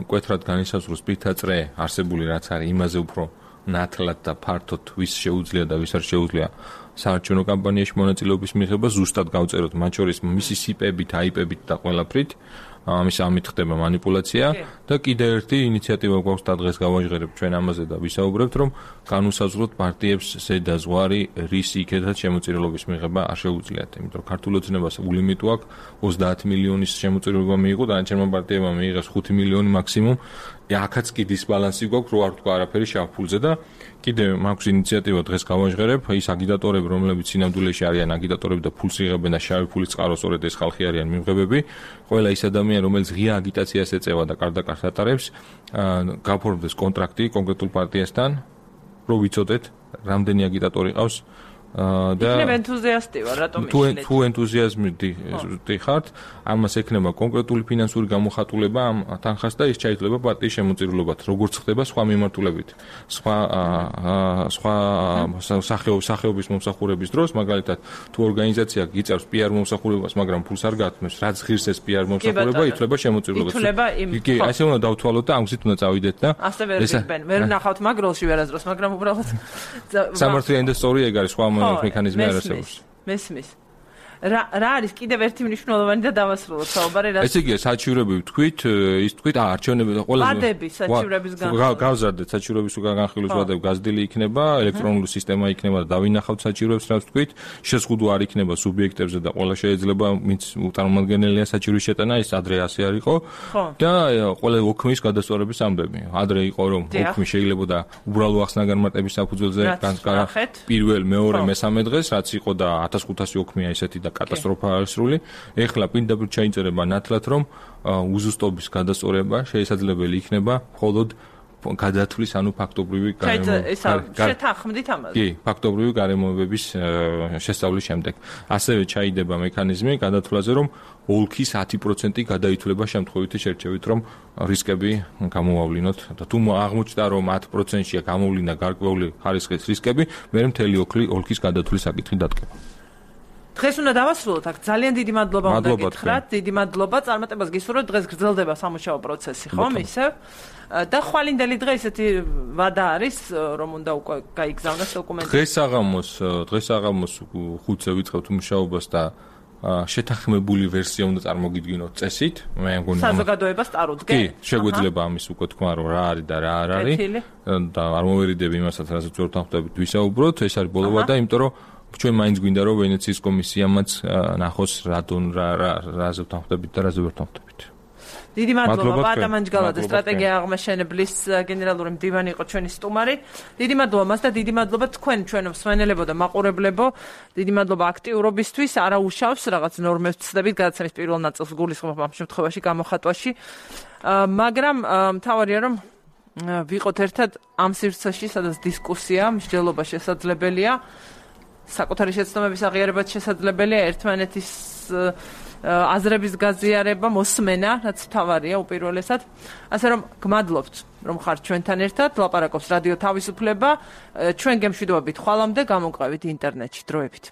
Speaker 7: მკვეთრად განისაზღვროს სპირთაწრე არსებული რაც არის, იმაზე უფრო ნათლად და ფართოდ ვის შეუძლია და ვის არ შეუძლია საარჩევნო კამპანიაში მონაწილეობის მიღება, ზუსტად გავწეროთ მათ შორის მისი სიპებით, აიპებით და ყველაფრით. ამის ამით ხდება манипуляция და კიდევ ერთი ინიციატივა გვაქვს და დღეს გავაჟღერებთ ჩვენ ამაზე და ვისაუბრებთ რომ განუსაზღვროთ პარტიებს ზედაზღვარი რის იქედაც შემოწირულობის მიღება არ შეუძლიათ, იმიტომ რომ ქართულ ოცნებას ულიმიტი აქვს ოცდაათი მილიონის შემოწირულობა მიიღო და ანჩერმა პარტიებმა მიიღეს ხუთი მილიონი მაქსიმუმ. აქაც კი დისბალანსი გვაქვს, რო არ თქვა არაფერი შავ ფულზე და კიდევ მაქვს ინიციატივა დღეს გავაჟღერებ, ის აგიტატორები, რომლებიც სინამდვილეში არიან აგიტატორები და ფულს იღებენ და შავი ფულის წყარო სწორედ ეს ხალხი არიან მიმღებები, ყველა ის ადამიანი, რომელიც ღია აგიტაციას ეწევა და კარდაკარს ატარებს, გაფორმდეს კონტრაქტი კონკრეტულ პარტიასთან, რო ვიცოდეთ, რამდენი აგიტატორი ყავს და
Speaker 1: იქნებ ენთუზიასტი ვარ, რატომ
Speaker 7: იშლეთ? თუ ენთუზიაზმი ხართ, ამას ექნება კონკრეტული ფინანსური გამოხატულება ამ თანხას და ის ჩაითვლება პარტიის შემოწირულობად, როგორც ხდება სხვა მიმართულებით. სხვა სხვა სახეობის მომსახურების დროს, მაგალითად, თუ ორგანიზაცია გიწევს პიარ მომსახურებას, მაგრამ ფულს არ გათმევს, რაც ღირს ეს პიარ მომსახურება, ითვლება შემოწირულობად. კი, ასე უნდა დავთვალოთ და ამ გზით უნდა წავიდეთ და
Speaker 1: ასე ვერ ვიყბენ, ვერ ნახავთ მაგროლში ვერასდროს, მაგრამ უბრალოდ
Speaker 7: სამართლიანი და სწორი ეგ არის სხვა მექანიზმი არ არსებობს.
Speaker 1: მესმის. რა რა არის კიდევ ერთი მნიშვნელოვანი და დავასრულოთ საუბარი რა.
Speaker 7: ესე იგი საჩივრები ვთქვით, ის ვთქვით, აა არჩევნები და ყველა
Speaker 1: ვადები საჩივრების განხილვა.
Speaker 7: გავზარდეთ საჩივრების განხილვის ვადები გაზრდილი იქნება, ელექტრონული სისტემა იქნება და დავინახავთ საჩივრებს რაც ვთქვით, შეზღუდვა არ იქნება სუბიექტებზე და ყველა შეიძლება ვინც წარმომადგენელია საჩივრის შეტანა, ის ადრე ასე არ იყო და ყველა ოქმის გადასწორების ამბები. ადრე იყო რომ ოქმი შეიძლება და უბრალო ახსნა-განმარტების საფუძველზე განსკარა პირველ, მეორე, მესამე დღეს, რაც იყო და ათას ხუთასი ოქმია ისეთი და კატასტროფა არის სრული. ეხლა პირდაპირ ჩაიწერება ნათლად, რომ უზუსტობის გადასწორება შესაძლებელი იქნება მხოლოდ გადათვლის, ანუ ფაქტობრივი
Speaker 1: შეთანხმდით ამაზე.
Speaker 7: კი, ფაქტობრივი გარემოებების შესწავლის შემდეგ. ასევე ჩაიდება მექანიზმი გადათვლაზე, რომ ოლქის ათი პროცენტი გადაითვლება შემთხვევითი შერჩევით, რომ რისკები გამოავლინოთ და თუ აღმოჩნდა, რომ ათი პროცენტია გამოვლინა გარკვეული ხარისხის რისკები, მე მთელი ოლქის გადათვლის საკითხი დადგება.
Speaker 1: დღეს უნდა დავასრულოთ აქ. ძალიან დიდი მადლობა უნდა გითხრათ. დიდი მადლობა. წარმატებას გისურვებთ. დღეს გრძელდება სამუშაო პროცესი, ხომ ისევ? და ხვალინდელი დღე ისეთი ვადა არის, რომ უნდა უკვე გაიგზავნოს დოკუმენტი.
Speaker 7: დღეს საღამოს, დღეს საღამოს ხუთზე ვიწყებთ მუშაობას და შეთანხმებული ვერსია უნდა წარმოგიდგინოთ წესით. მე მგონი
Speaker 1: საზოგადოებას წარუდგენ.
Speaker 7: კი, შეგვეძლება ამის უკვე თქვა, რომ რა არის და რა არ არის და არ მოვერიდები იმასაც, რასაც ვერ თანხმდებით ვისაუბროთ. ეს არის ბოლო ვადა, იმიტომ რომ ჩვენ მაინც გვინდა რომ ვენეციის კომისიამაც ნახოს რა დონ რა რა რაზე ვთანხმდებით და რაზე ვერ ვთანხმდებით.
Speaker 1: დიდი მადლობა
Speaker 7: მადლობა
Speaker 1: პატა
Speaker 7: თქვენ.
Speaker 1: მანჯგალაძე
Speaker 7: მადლობა
Speaker 1: სტრატეგია აღმაშენებლის uh, გენერალური მდივანი იყო ჩვენი სტუმარი. დიდი მადლობა მას და დიდი მადლობა თქვენ ჩვენ მსმენელებო და მაყურებლებო. დიდი მადლობა აქტიურობისთვის. არა უშავს რაღაც ნორმებს ვცდებით გადაცემის პირველ ნაწილს გულისხმობ ამ შემთხვევაში გამოხატვაში. Uh, მაგრამ uh, მთავარია რომ uh, ვიყოთ ერთად ამ სივრცეში, სადაც დისკუსია, მსჯელობა შესაძლებელია. საკუთარი შეცდომების აღიარებაც შესაძლებელია, ერთმანეთის uh, აზრების გაზიარება, მოსმენა, რაც მთავარია უპირველესად. ასე რომ გმადლობთ, რომ ხართ ჩვენთან ერთად. ლაპარაკობს რადიო თავისუფლება. ჩვენ გემშვიდობებით ხვალამდე, გამოვყავით ინტერნეტში დროებით.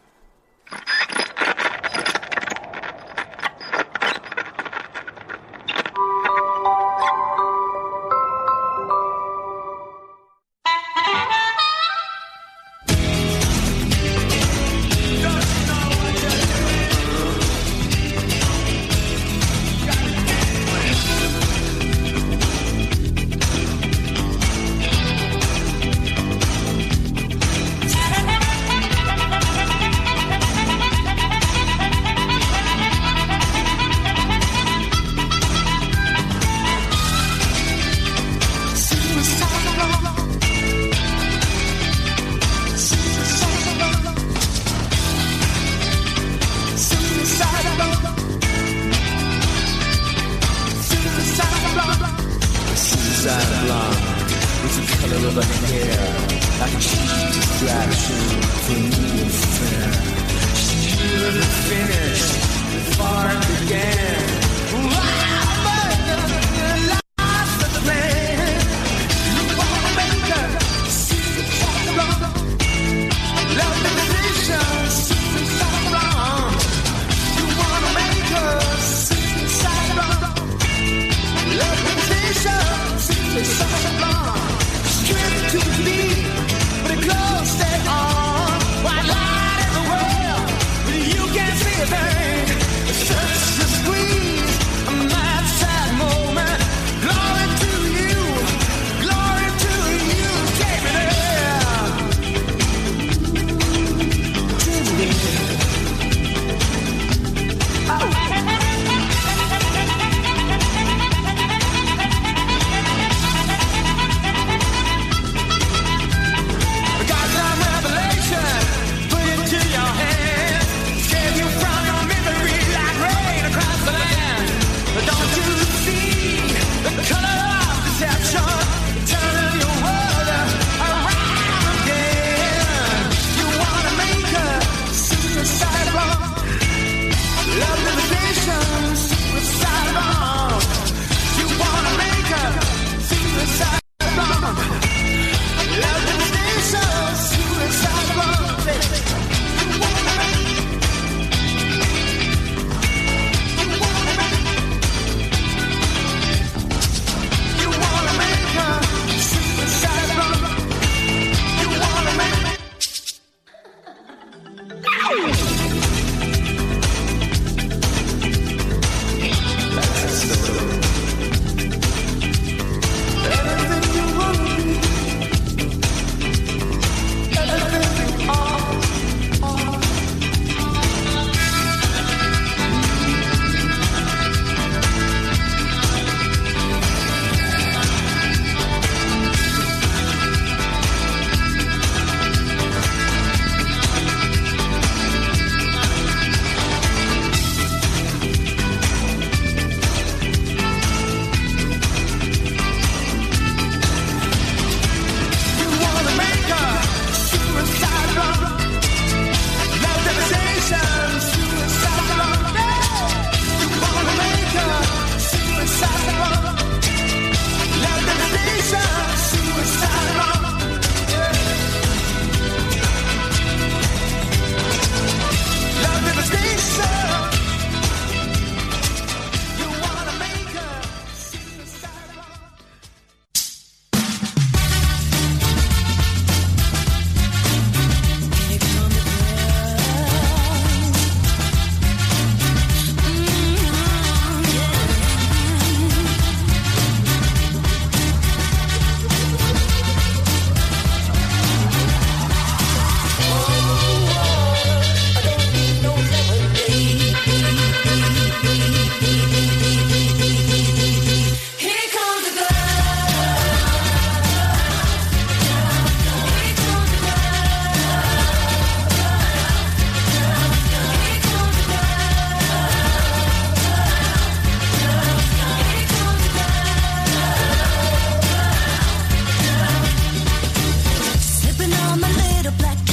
Speaker 8: a black